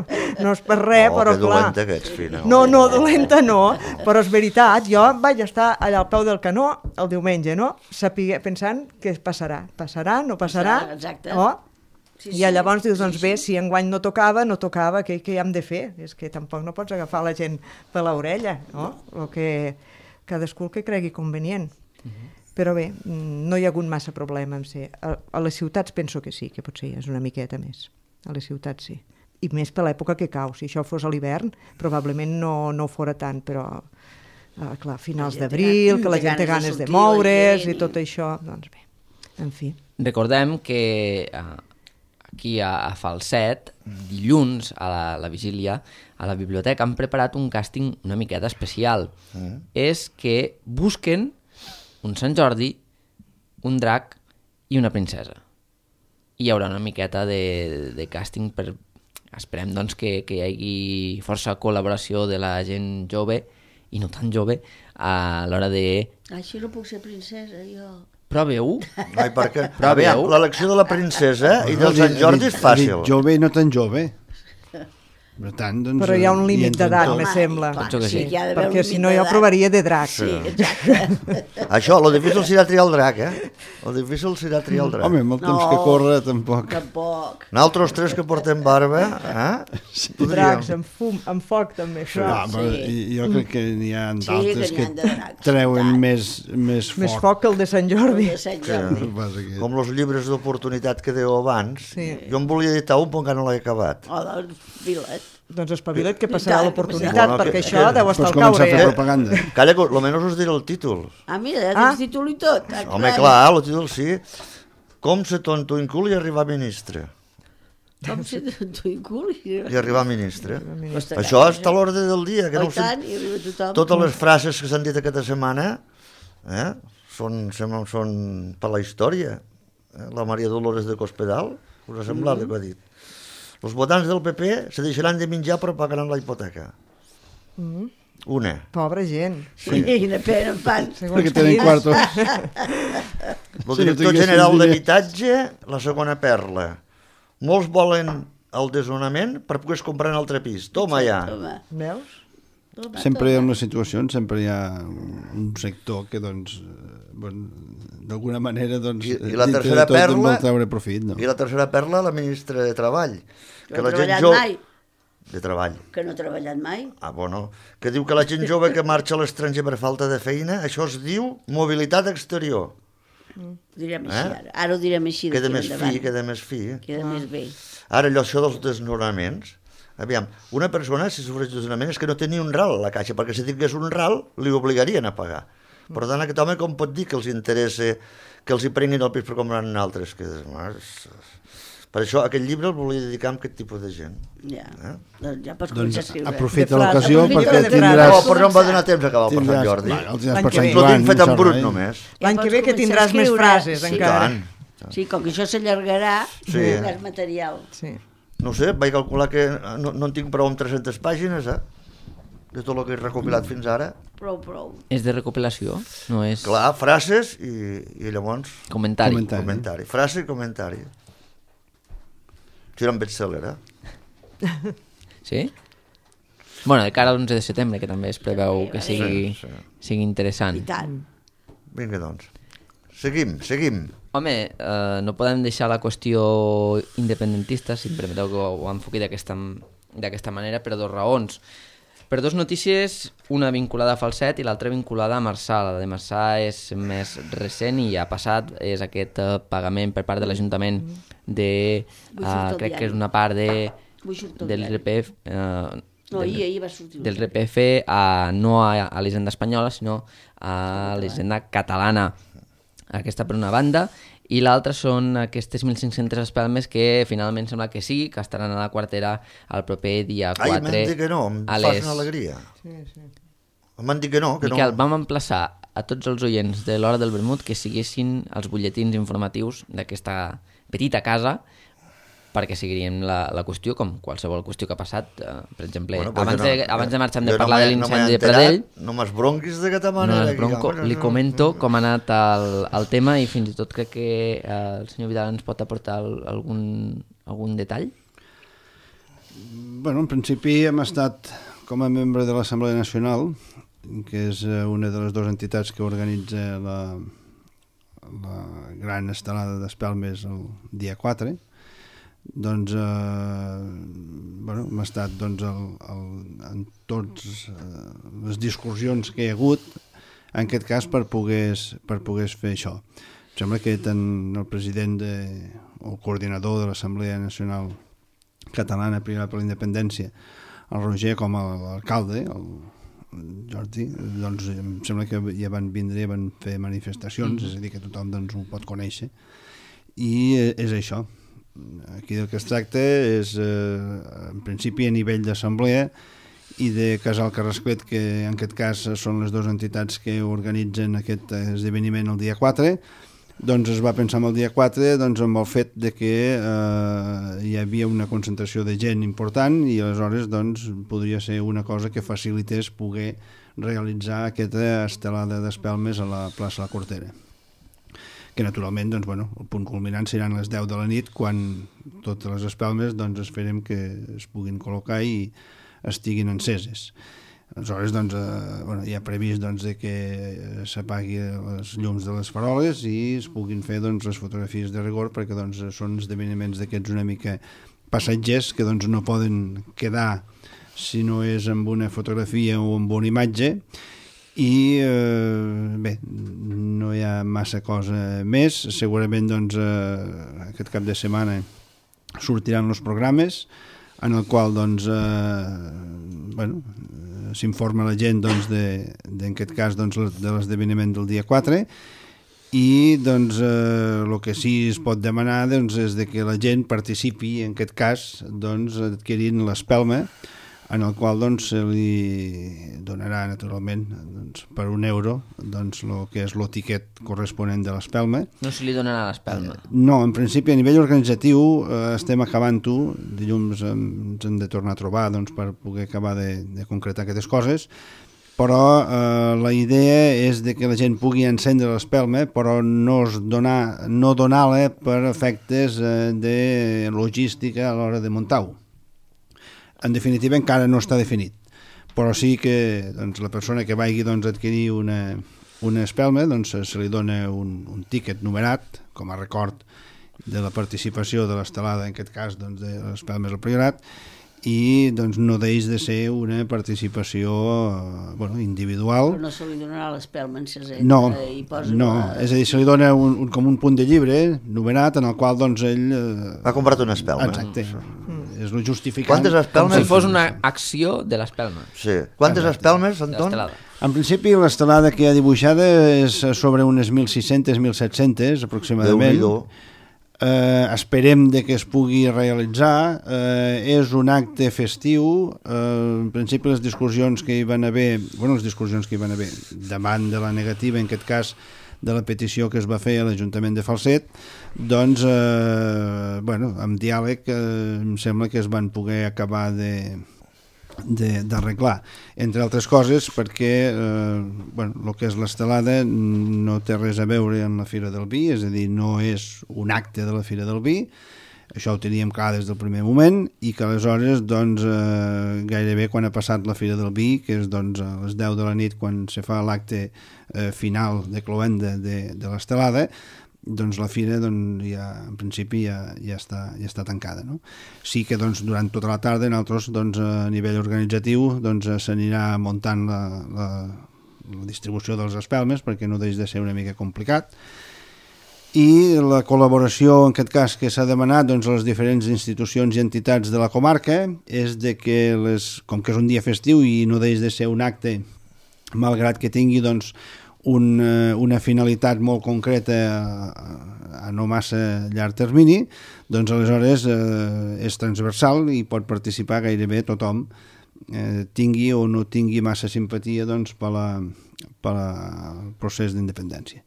és per res, però clar... Que dolenta que ets, fina. No, dolenta no, però és veritat, jo vaig estar allà al peu del canó el diumenge, no? Pensant que passarà, no passarà, exacte. I llavors dius, doncs bé, si enguany no tocava, què hi hem de fer? És que tampoc no pots agafar la gent per l'orella, no? El que cadascú que cregui convenient. Però bé, no hi ha hagut massa problema amb ser. A les ciutats penso que sí, que potser és una miqueta més. A les ciutats sí. I més per l'època que cau. Si això fos a l'hivern, probablement no ho fora tant, però clar, finals d'abril, que la gent té ganes de moure's i tot això, doncs bé, en fi. Recordem que aquí a Falset, dilluns a la vigília, a la biblioteca han preparat un càsting una miqueta especial. És que busquen un Sant Jordi, un drac i una princesa. I hi haurà una miqueta de càsting per... Esperem doncs, que hi hagi força col·laboració de la gent jove i no tan jove a l'hora de... Així no puc ser princesa, jo. Proveu? Ai, perquè... L'elecció de la princesa i del Sant Jordi és fàcil. Jove i no tan jove. Per tant, doncs, però hi ha un límit d'edat, me sembla. Sí, perquè si no jo provaria de drac. Sí, exacte. Això, lo difícil serà triar el drac, Lo difícil serà triar el drac. Home, amb el temps que corre, tampoc. Nosaltres tres que portem barba, Dracs, amb foc, també, això. Jo crec que n'hi ha d'altres que treuen més foc. Més foc que el de Sant Jordi. Com els llibres d'oportunitat que dèieu abans. Jo em volia editar un, però encara no l'he acabat. Doncs espavila't que passarà l'oportunitat, perquè això deu estar al caure. Pots començar a fer propaganda. Calla, almenys us diré el títol. Mira, ja tens títol i tot. Home, clar, el títol sí. Com ser tonto i cul i arribar a ministre. Com ser tonto i cul i arribar a ministre. Això està a l'ordre del dia. Totes les frases que s'han dit aquesta setmana són per la història. La Maria Dolores de Cospedal, us ha semblat el que ha dit? Els votants del PP se deixaran de menjar però pagaran la hipoteca. Una. Pobra gent. Sí, quina pena en fan. Perquè tenen quartos. El director general d'habitatge, la segona perla. Molts volen el desnonament per poder comprar un altre pis. Toma ja. Veus? Sempre en les situacions sempre hi ha un sector que doncs d'alguna manera i la tercera perla vol treure profit, no? I la tercera perla, la ministra de Treball, que no ha treballat mai. De Treball. Que no ha treballat mai. Bueno, que diu que la gent jove que marxa a l'estranger per falta de feina, això es diu mobilitat exterior. Ho direm així ara. Ara ho direm així. Queda més fi. Queda més bé. Ara allò, això dels desnonaments, aviam, una persona, si sofreix desnonament, és que no té ni un ral a la caixa, perquè si tingués un ral, li obligarien a pagar. Per tant, aquest home com pot dir que els interessa que els hi prenguin el pis per comprar en altres? Per això aquest llibre el volia dedicar a aquest tipus de gent. Ja pots començar a escriure. Aprofita l'ocasió perquè tindràs... No, però no em va donar temps a acabar per Sant Jordi. L'any que ve. L'ho tinc fet en brut només. L'any que ve que tindràs més frases encara. Sí, com que això s'allargarà, tindràs material. No sé, vaig calcular que no en tinc prou amb 300 pàgines, de tot el que he recopilat fins ara. Prou. És de recopilació? No és... Clar, frases i llavors... Comentari. Frase i comentari. Serà un best-seller, Sí? Bueno, de cara a l'11 de setembre, que també es preveu que sigui interessant. I tant. Vinga, doncs. Seguim. Home, no podem deixar la qüestió independentista, si em permeteu que ho enfoqui d'aquesta manera, per dues raons. Per dues notícies, una vinculada a Falset i l'altra vinculada a Marçà. La de Marçà és més recent i ja ha passat, és aquest pagament per part de l'Ajuntament de... crec que és una part del RPF... ahir va sortir. Del RPF no a l'Hisenda espanyola, sinó a l'Hisenda catalana. Aquesta per una banda, i l'altra són aquestes 1.500 espelmes que finalment sembla que sí, que estaran a la quartera el proper dia 4. Ai, m'han dit que no, em fas una alegria. Sí. M'han dit que no. Miquel, vam emplaçar a tots els oients de l'Hora del Vermut que siguessin els butlletins informatius d'aquesta petita casa, perquè seguiríem la qüestió, com qualsevol qüestió que ha passat. Per exemple, abans de marxar hem de parlar de l'incendi de Pradell. No m'esbronquis d'aquesta manera. Li comento com ha anat el tema i fins i tot crec que el senyor Vidal ens pot aportar algun detall. En principi hem estat com a membre de l'Assemblea Nacional, que és una de les dues entitats que organitza la gran estelada d'espelmes el dia 4. Doncs hem estat en tots les discussions que hi ha hagut en aquest cas per poder fer això. Em sembla que tant el president o el coordinador de l'Assemblea Nacional Catalana Privada per la Independència, el Roger, com l'alcalde, el Jordi, doncs em sembla que ja van vindre i van fer manifestacions, és a dir, que tothom doncs, ho pot conèixer, i és això. Aquí del que es tracta és, en principi, a nivell d'assemblea i de Casal Carrasclet, que en aquest cas són les dues entitats que organitzen aquest esdeveniment el dia 4, doncs es va pensar en el dia 4 amb el fet de que hi havia una concentració de gent important i aleshores doncs, podria ser una cosa que facilités poder realitzar aquesta estelada d'espelmes a la plaça La Cortera. que naturalment doncs, bueno, el punt culminant seran les 10 de la nit, quan totes les espelmes doncs, esperem que es puguin col·locar i estiguin enceses. Aleshores, doncs, bueno, hi ha previst doncs, de que s'apagui les llums de les faroles i es puguin fer doncs, les fotografies de rigor, perquè doncs, són esdeveniments d'aquests una mica passatgers que doncs, no poden quedar si no és amb una fotografia o amb una imatge. I bé, no hi ha massa cosa més. Segurament doncs, aquest cap de setmana sortiran els programes en el qual doncs, bueno, s'informa la gent doncs, en aquest cas doncs, de l'esdeveniment del dia 4 i doncs, el que sí es pot demanar doncs, és de que la gent participi en aquest cas doncs, adquirint l'espelma, en el qual doncs, se li donarà naturalment doncs, per €1 doncs, el que és el tiquet corresponent de l'espelma. No se li donarà l'espelma? No, en principi a nivell organitzatiu estem acabant-ho, dilluns ens hem de tornar a trobar doncs, per poder acabar de concretar aquestes coses, però la idea és de que la gent pugui encendre l'espelma, però no donar-la per efectes de logística a l'hora de muntar-ho. En definitiva encara no està definit, però sí que doncs, la persona que vagi doncs, a adquirir una espelma doncs, se li dona un tíquet numerat com a record de la participació de l'estelada, en aquest cas doncs, de les espelmes al Priorat, i doncs, no deix de ser una participació bueno, individual. Però no se li donarà l'espelma enceseta? No, és a dir, se li dona com un punt de llibre numerat en el qual doncs, ell... Ha comprat una espelma. Exacte. És el justificant. Quantes espelmes? Com si fos una acció de l'espelma. Sí. Quantes espelmes, Anton? En principi, l'estelada que hi ha dibuixada és sobre unes 1.600, 1.700 aproximadament. Esperem de que es pugui realitzar. És un acte festiu. En principi, les discussions que hi van haver, davant de la negativa, en aquest cas, de la petició que es va fer a l'Ajuntament de Falset, doncs, amb diàleg em sembla que es van poder acabar d'arreglar, entre altres coses perquè el que és l'estelada no té res a veure amb la Fira del Vi, és a dir, no és un acte de la Fira del Vi, això ho teníem clar des del primer moment, i que aleshores doncs, gairebé quan ha passat la Fira del Vi, que és doncs, a les 10 de la nit quan se fa l'acte final de cloenda de l'estelada, doncs la fira doncs, ja, en principi ja està tancada. No? Sí que doncs, durant tota la tarda nosaltres doncs, a nivell organitzatiu doncs, s'anirà muntant la distribució dels espelmes perquè no deixa de ser una mica complicat, i la col·laboració en aquest cas que s'ha demanat doncs, a les diferents institucions i entitats de la comarca és de que, com que és un dia festiu i no deixa de ser un acte, malgrat que tingui doncs, una finalitat molt concreta a no massa llarg termini, doncs aleshores és transversal i pot participar gairebé tothom, tingui o no tingui massa simpatia doncs, pel procés d'independència.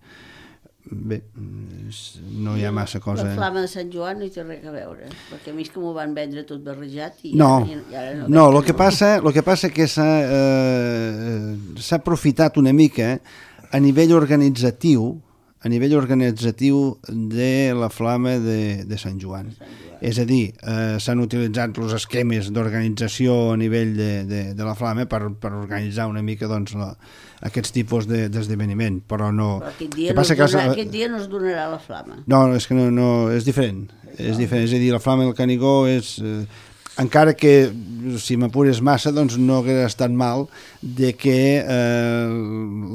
Bé, no hi ha massa cosa... La flama de Sant Joan no hi té res a veure, perquè a mi és que m'ho van vendre tot barrejat i no, ara no, el que passa que s'ha aprofitat una mica a nivell organitzatiu de la flama de Sant Joan. És a dir, s'han utilitzat els esquemes d'organització a nivell de la flama per organitzar una mica doncs, aquests tipus d'esdeveniment, però no... Però aquest dia no es donarà la flama. No, és que no, és diferent. És diferent, és a dir, la flama del Canigó és... encara que, si m'apures massa, doncs no hauria estat mal de que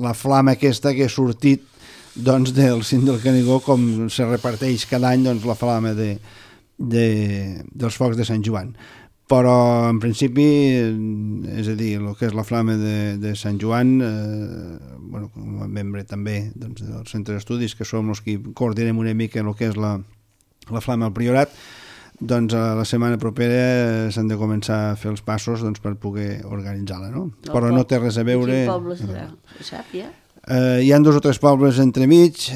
la flama aquesta que ha sortit doncs, del cim del Canigó, com se reparteix cada any doncs, la flama dels focs de Sant Joan. Però, en principi, és a dir, el que és la flama de Sant Joan, com a membre també doncs, del Centre d'Estudis, que som els que coordinem una mica el que és la flama al Priorat, doncs la setmana propera s'han de començar a fer els passos doncs, per poder organitzar-la, no? Però no té res a veure... Quin poble serà? Ho sap, ja? Hi ha 2 o 3 pobles entremig,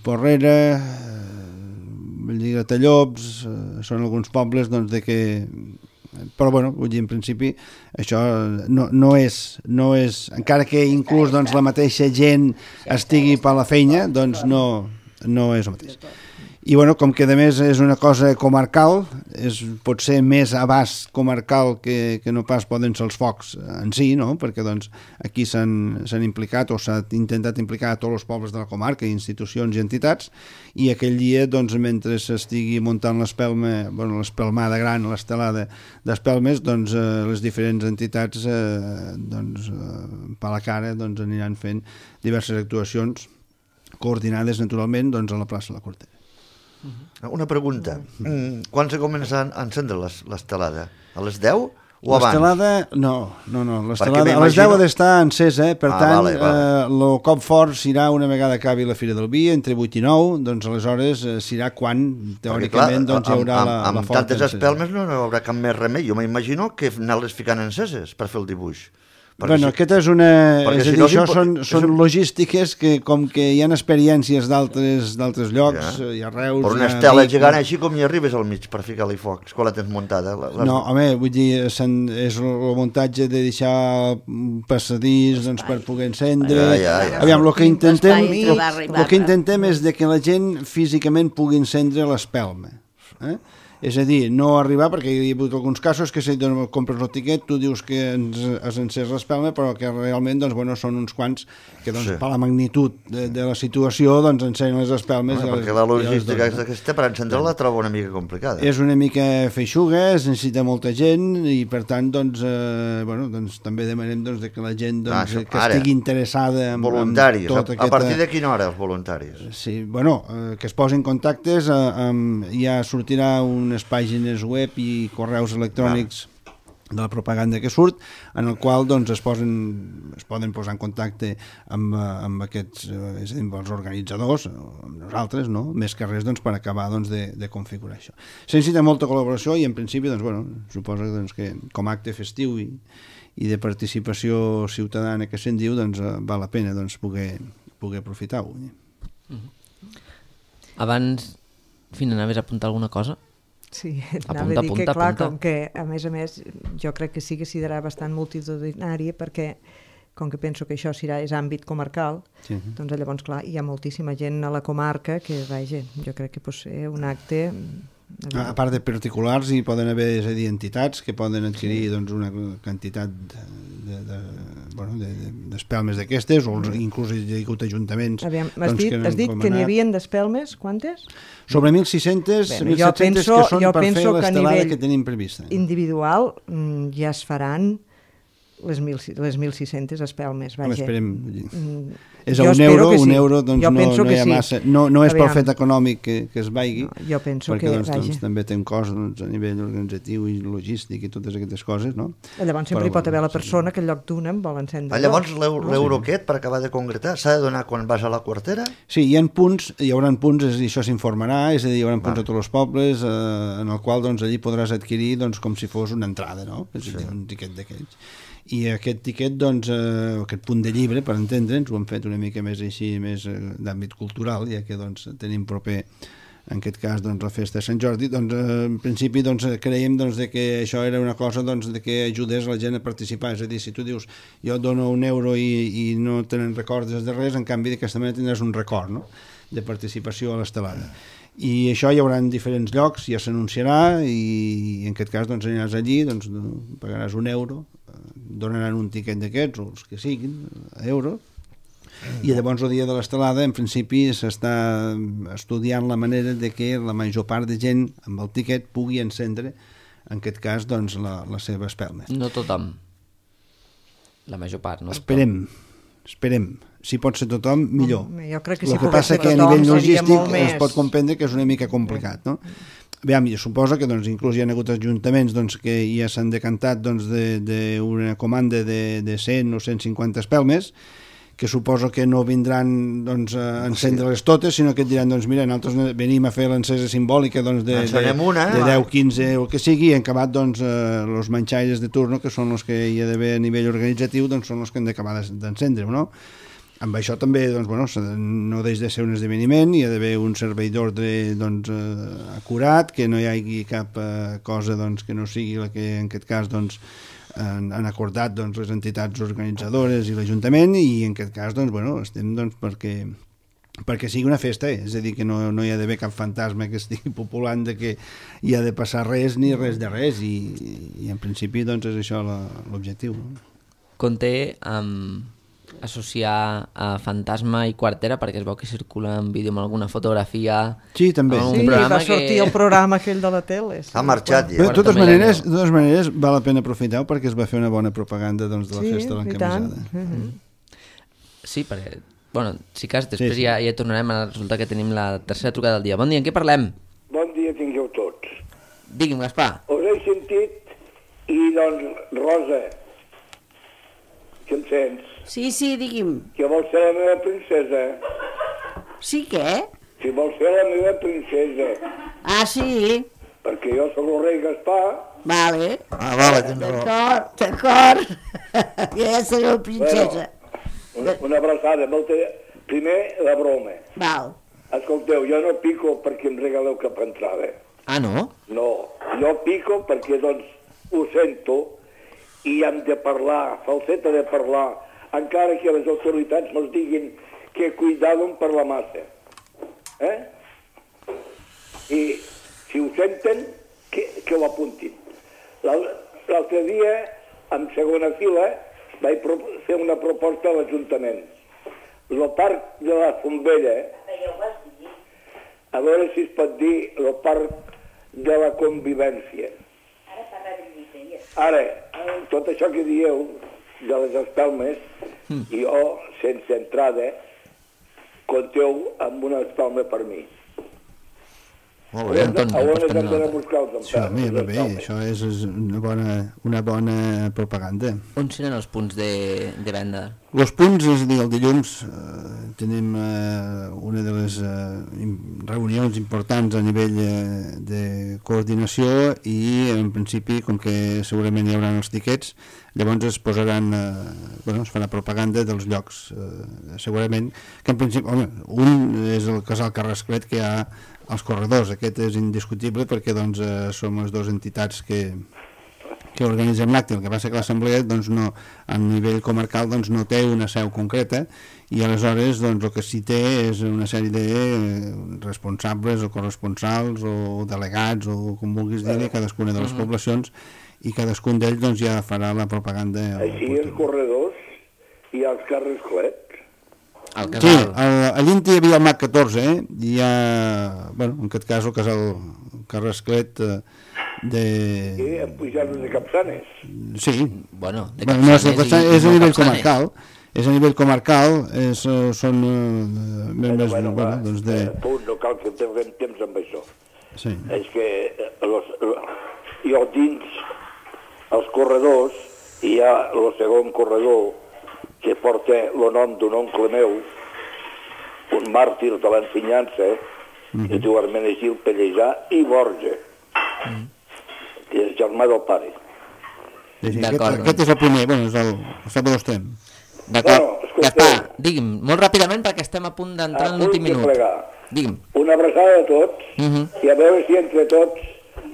Porrera, Gratallops, són alguns pobles doncs, de que... Però, vull dir, en principi, això no és... Encara que inclús doncs, la mateixa gent estigui per la feina, doncs no... no és el mateix. I bueno, com que a més és una cosa comarcal, pot ser més abast comarcal que no pas poden ser els focs en si, no? Perquè doncs, aquí s'han implicat o s'ha intentat implicar a tots els pobles de la comarca, institucions i entitats, i aquell dia, doncs, mentre s'estigui muntant l'espelma, bueno, l'espelmada gran, l'estelada d'espelmes, doncs les diferents entitats per la cara doncs, aniran fent diverses actuacions coordinades naturalment doncs, a la plaça de la Cortera. Una pregunta. Quan se comença a encendre l'estelada? A les 10 o abans? L'estelada, no. L'estelada a les 10 ha d'estar encesa, per tant, el cop fort serà una vegada acabi la Fira del Vi, entre 8 i 9, doncs aleshores serà quan, teòricament, doncs hi haurà la forta encesa. Amb tantes espelmes no hi haurà cap més remei. Jo m'imagino que anar-les ficant enceses per fer el dibuix. Bueno, aquesta és una... És a dir, això són logístiques que, com que hi ha experiències d'altres llocs, i arreus... Per una estela gegant així com hi arribes al mig per ficar-li foc, quan la tens muntada. No, home, vull dir, és el muntatge de deixar passadís per poder encendre... Aviam, el que intentem és que la gent físicament pugui encendre l'espelma. És a dir, no arribar, perquè hi ha hagut alguns casos que si compres el tiquet, tu dius que has encès l'espelma, però que realment doncs, bueno, són uns quants que doncs, per la magnitud de la situació doncs, encenyen les espelmes. Perquè la logística aquesta per encendre la trobo una mica complicada. És una mica feixuga, es necessita molta gent i per tant doncs, doncs, també demanem doncs, que la gent doncs, que estigui interessada en voluntaris. Tota aquesta... A partir de quina hora els voluntaris? Sí, bueno, que es posin contactes, ja sortirà unes pàgines web i correus electrònics de la propaganda que surt, en el qual doncs, es poden posar en contacte amb aquests, és a dir, amb els organitzadors, amb nosaltres, no? Més que res doncs, per acabar doncs, de configurar això. Se necessita molta col·laboració i en principi doncs, bueno, suposo doncs, que com a acte festiu i de participació ciutadana que se'n diu, doncs, val la pena doncs, poder aprofitar-ho. Abans, Fina, anaves a apuntar alguna cosa? Sí, anava a dir que clar, com que a més, jo crec que sí que serà bastant multitudinària perquè com que penso que això és àmbit comarcal, doncs llavors clar, hi ha moltíssima gent a la comarca que, vaja, jo crec que pot ser un acte... A part de particulars hi poden haver, és a dir, entitats que poden adquirir doncs, una quantitat d'espelmes d'aquestes, o inclús hi ha hagut ajuntaments. Aviam, has dit que n'hi havia d'espelmes, quantes? Sobre 1.600, 1.700 que són per fer l'estelada que tenim prevista. Individual ja es faran les 1.600 espelmes, vaja. Esperem. És a un euro doncs no hi ha massa. No és pel fet econòmic que es vagi, jo penso perquè doncs, també té un cost a nivell organitzatiu i logístic i totes aquestes coses, no? Llavors sempre hi pot haver la persona que en lloc d'una vol encendre. Llavors l'euro aquest, per acabar de concretar, s'ha de donar quan vas a la quartera? Sí, hi haurà punts, i això s'informarà, és a dir, hi haurà punts a tots els pobles en el qual doncs, allí podràs adquirir doncs, com si fos una entrada, no? És a dir, un tiquet d'aquells. I aquest tiquet, doncs, aquest punt de llibre, per entendre'ns, ho hem fet una mica més així, més d'àmbit cultural, ja que doncs, tenim proper, en aquest cas, doncs, la festa de Sant Jordi, doncs, en principi doncs, creiem doncs, que això era una cosa doncs, de que ajudés la gent a participar, és a dir, si tu dius jo dono €1 i no tenen recordes de res, en canvi d'aquesta manera tindràs un record, no?, de participació a l'estelada. I això hi haurà en diferents llocs, ja s'anunciarà i en aquest cas doncs, aniràs allí, doncs, pagaràs €1, donaran un tiquet d'aquests, o els que siguin, euros, i llavors el dia de l'estelada en principi s'està estudiant la manera de que la major part de gent amb el tiquet pugui encendre, en aquest cas, doncs, la seva espelma. No tothom. La major part, no? Esperem. Si pot ser tothom, millor. Jo crec que si el que passa que a nivell logístic es pot comprendre que és una mica complicat, no? Aviam, jo suposo que doncs, inclús hi ha hagut ajuntaments doncs, que ja s'han decantat doncs, d'una comanda de 100 o 150 espelmes, que suposo que no vindran doncs, a encendre-les totes, sinó que et diran, doncs mira, nosaltres venim a fer l'encesa simbòlica doncs, de 10, 15 o el que sigui, i en acabat doncs, els manxaires de turno, que són els que hi ha d'haver a nivell organitzatiu, doncs són els que han d'acabar d'encendre, no? Amb això també doncs, bueno, no deix de ser un esdeveniment, hi ha d'haver un servei d'ordre doncs, acurat, que no hi hagi cap cosa doncs, que no sigui la que en aquest cas doncs, han acordat doncs, les entitats organitzadores i l'Ajuntament, i en aquest cas doncs, bueno, estem doncs, perquè perquè sigui una festa, és a dir, que no hi ha d'haver cap fantasma que estigui populant de que hi ha de passar res ni res de res, i en principi doncs és això l'objectiu. Conté associar a Fantasma i Quartera, perquè es veu que circula en vídeo amb alguna fotografia. Sí, també. Sí, va sortir el programa aquell de la tele. Ha marxat ja. De totes maneres, val la pena aprofitar perquè es va fer una bona propaganda de la festa de l'encamisada. Sí, perquè, bueno, si cas, després ja tornarem a resultar que tenim la tercera trucada del dia. Bon dia, en què parlem? Bon dia tingueu tots. Digui'm, Gaspar. Us he sentit i, doncs, Rosa, que em sents? Sí, digui'm. Que vols ser la meva princesa. Sí, què? Si vols ser la meva princesa. Ah, sí? Perquè jo soc el rei Gaspar. Vale. Vale, tens raó. D'acord. Ja seré la princesa. Bueno, una abraçada. Primer, la broma. Val. Escolteu, jo no pico perquè em regaleu cap entrada. Ah, no? No, jo pico perquè, doncs, ho sento i hem de parlar, falseta de parlar, encara que les autoritats ens diguin que cuidàvem per la massa. I si ho senten, que ho apuntin. L'altre dia, en segona fila, vaig fer una proposta a l'Ajuntament. El parc de la Fontbella, a veure si es pot dir el parc de la convivència. Ara, tot això que dieu de les espelmes, jo, sense entrada, compteu amb una espelma per mi. Molt bé, Antoni. A on hem d'anar a buscar els empelmes? Va bé, això és una bona propaganda. On seran els punts de venda? Els punts, és a dir, el dilluns tenim una de les reunions importants a nivell de coordinació i, en principi, com que segurament hi haurà els tiquets, llavors es posaran, es farà propaganda dels llocs, segurament, que en principi, un és el casal Carrasclet, que hi ha els corredors, aquest és indiscutible perquè doncs, som les dues entitats que organitzem l'acte. El que passa que l'assemblea doncs, no, a nivell comarcal doncs, no té una seu concreta i aleshores doncs, el que sí té és una sèrie de responsables o corresponsals o delegats o com vulguis dir, cadascuna de les poblacions, i cadascun d'ells doncs, ja farà la propaganda. Així els corredors i els Carrasclet. Sí, a l'Inti hi havia el MAC 14, i hi ha, en aquest cas, el casal Carrasclet de... Sí, en pujades de Capçanes. Sí. Bueno, no, és a nivell comarcal. És a nivell comarcal, són membres doncs de... No cal que tinguem temps amb això. Sí. És que jo dins els corredors hi ha el segon corredor que porta el nom d'un oncle meu, un màrtir de l'ensenyança, que es diu Hermenegil Pellejà i Borja, que és germà del pare. Aquest és el primer, és el Salvador Estrem. D'acord, Gaspar, digui'm, molt ràpidament perquè estem a punt d'entrar en l'últim minut. Digui'm. Una abraçada a tots i a veure si entre tots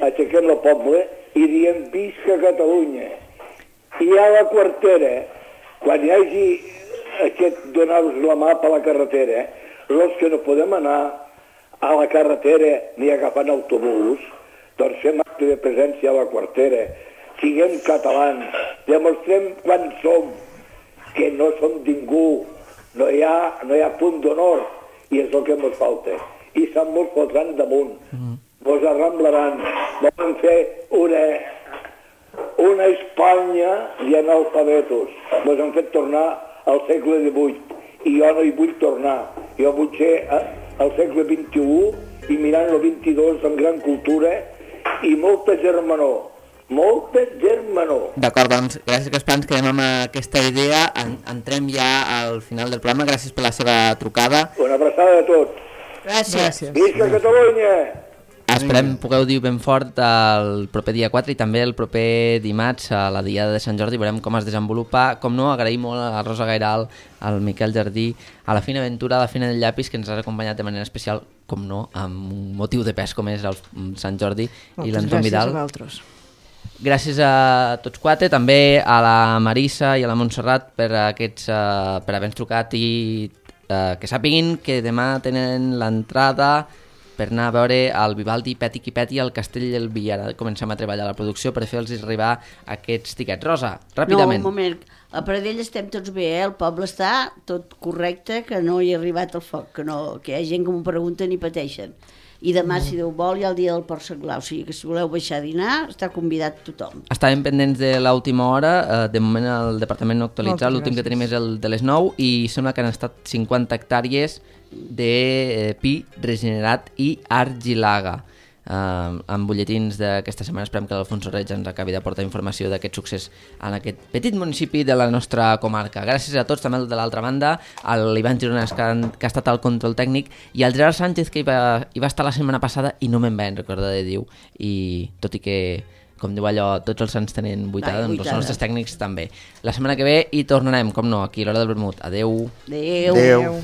aixequem el poble i diem visca Catalunya. I a la Quartera, quan hi hagi aquest donar-vos la mà per la carretera, els que no podem anar a la carretera ni agafant autobús, doncs fem acte de presència a la Quartera, siguem catalans, demostrem quan som, que no som ningú, no hi ha punt d'honor, i és el que ens falta. I se'n mos fotran damunt, mos arramblaran, volen fer una Espanya i analfabetos. Ens han fet tornar al segle XVIII i jo no hi vull tornar. Jo vull ser al segle XXI i mirant el XXII amb gran cultura i molta germanor. Molta germanor. D'acord, doncs, gràcies Gaspar, ens quedem amb aquesta idea. Entrem ja al final del programa. Gràcies per la seva trucada. Una abraçada a tots. Gràcies. Visca Catalunya! Esperem pugueu dir ben fort el proper dia 4 i també el proper dimarts a la Diada de Sant Jordi. Veurem com es desenvolupa. Com no, agraïm molt a Rosa Gairal, al Miquel Jardí, a la Fina Ventura, a la Fina del Llapis, que ens ha acompanyat de manera especial, com no, amb un motiu de pes com és el Sant Jordi i l'Anton Vidal. Gràcies a vosaltres. Gràcies a tots quatre, també a la Marissa i a la Montserrat per haver-nos trucat i que sàpiguin que demà tenen l'entrada per anar a veure el Vivaldi Peti qui Peti al Castell del Villar. Comencem a treballar a la producció per fer-los arribar aquests tiquets. Rosa, ràpidament. No, un moment. A Pradell estem tots bé, el poble està tot correcte, que no hi ha arribat el foc, que hi ha gent que m'ho pregunten i pateixen. I demà, si Déu vol, hi ha el dia del Port Senglar, o sigui que si voleu baixar a dinar, està convidat tothom. Estàvem pendents de l'última hora, de moment el departament no ha actualitzat, l'últim que tenim és el de les 9 i sembla que han estat 50 hectàrees de pi regenerat i argilaga. Amb butlletins d'aquesta setmana esperem que l'Alfonso Reig ens acabi de portar informació d'aquest succés en aquest petit municipi de la nostra comarca. Gràcies a tots, també de l'altra banda, a l'Ivan Gironès que ha estat al control tècnic i al Gerard Sánchez que hi va estar la setmana passada i no me'n vaig recordar de dir, i tot i que, com diu allò, tots els sants tenen vuitada, doncs els nostres tècnics també. La setmana que ve hi tornarem, com no, aquí a l'Hora del Vermut. Adeu. Adeu.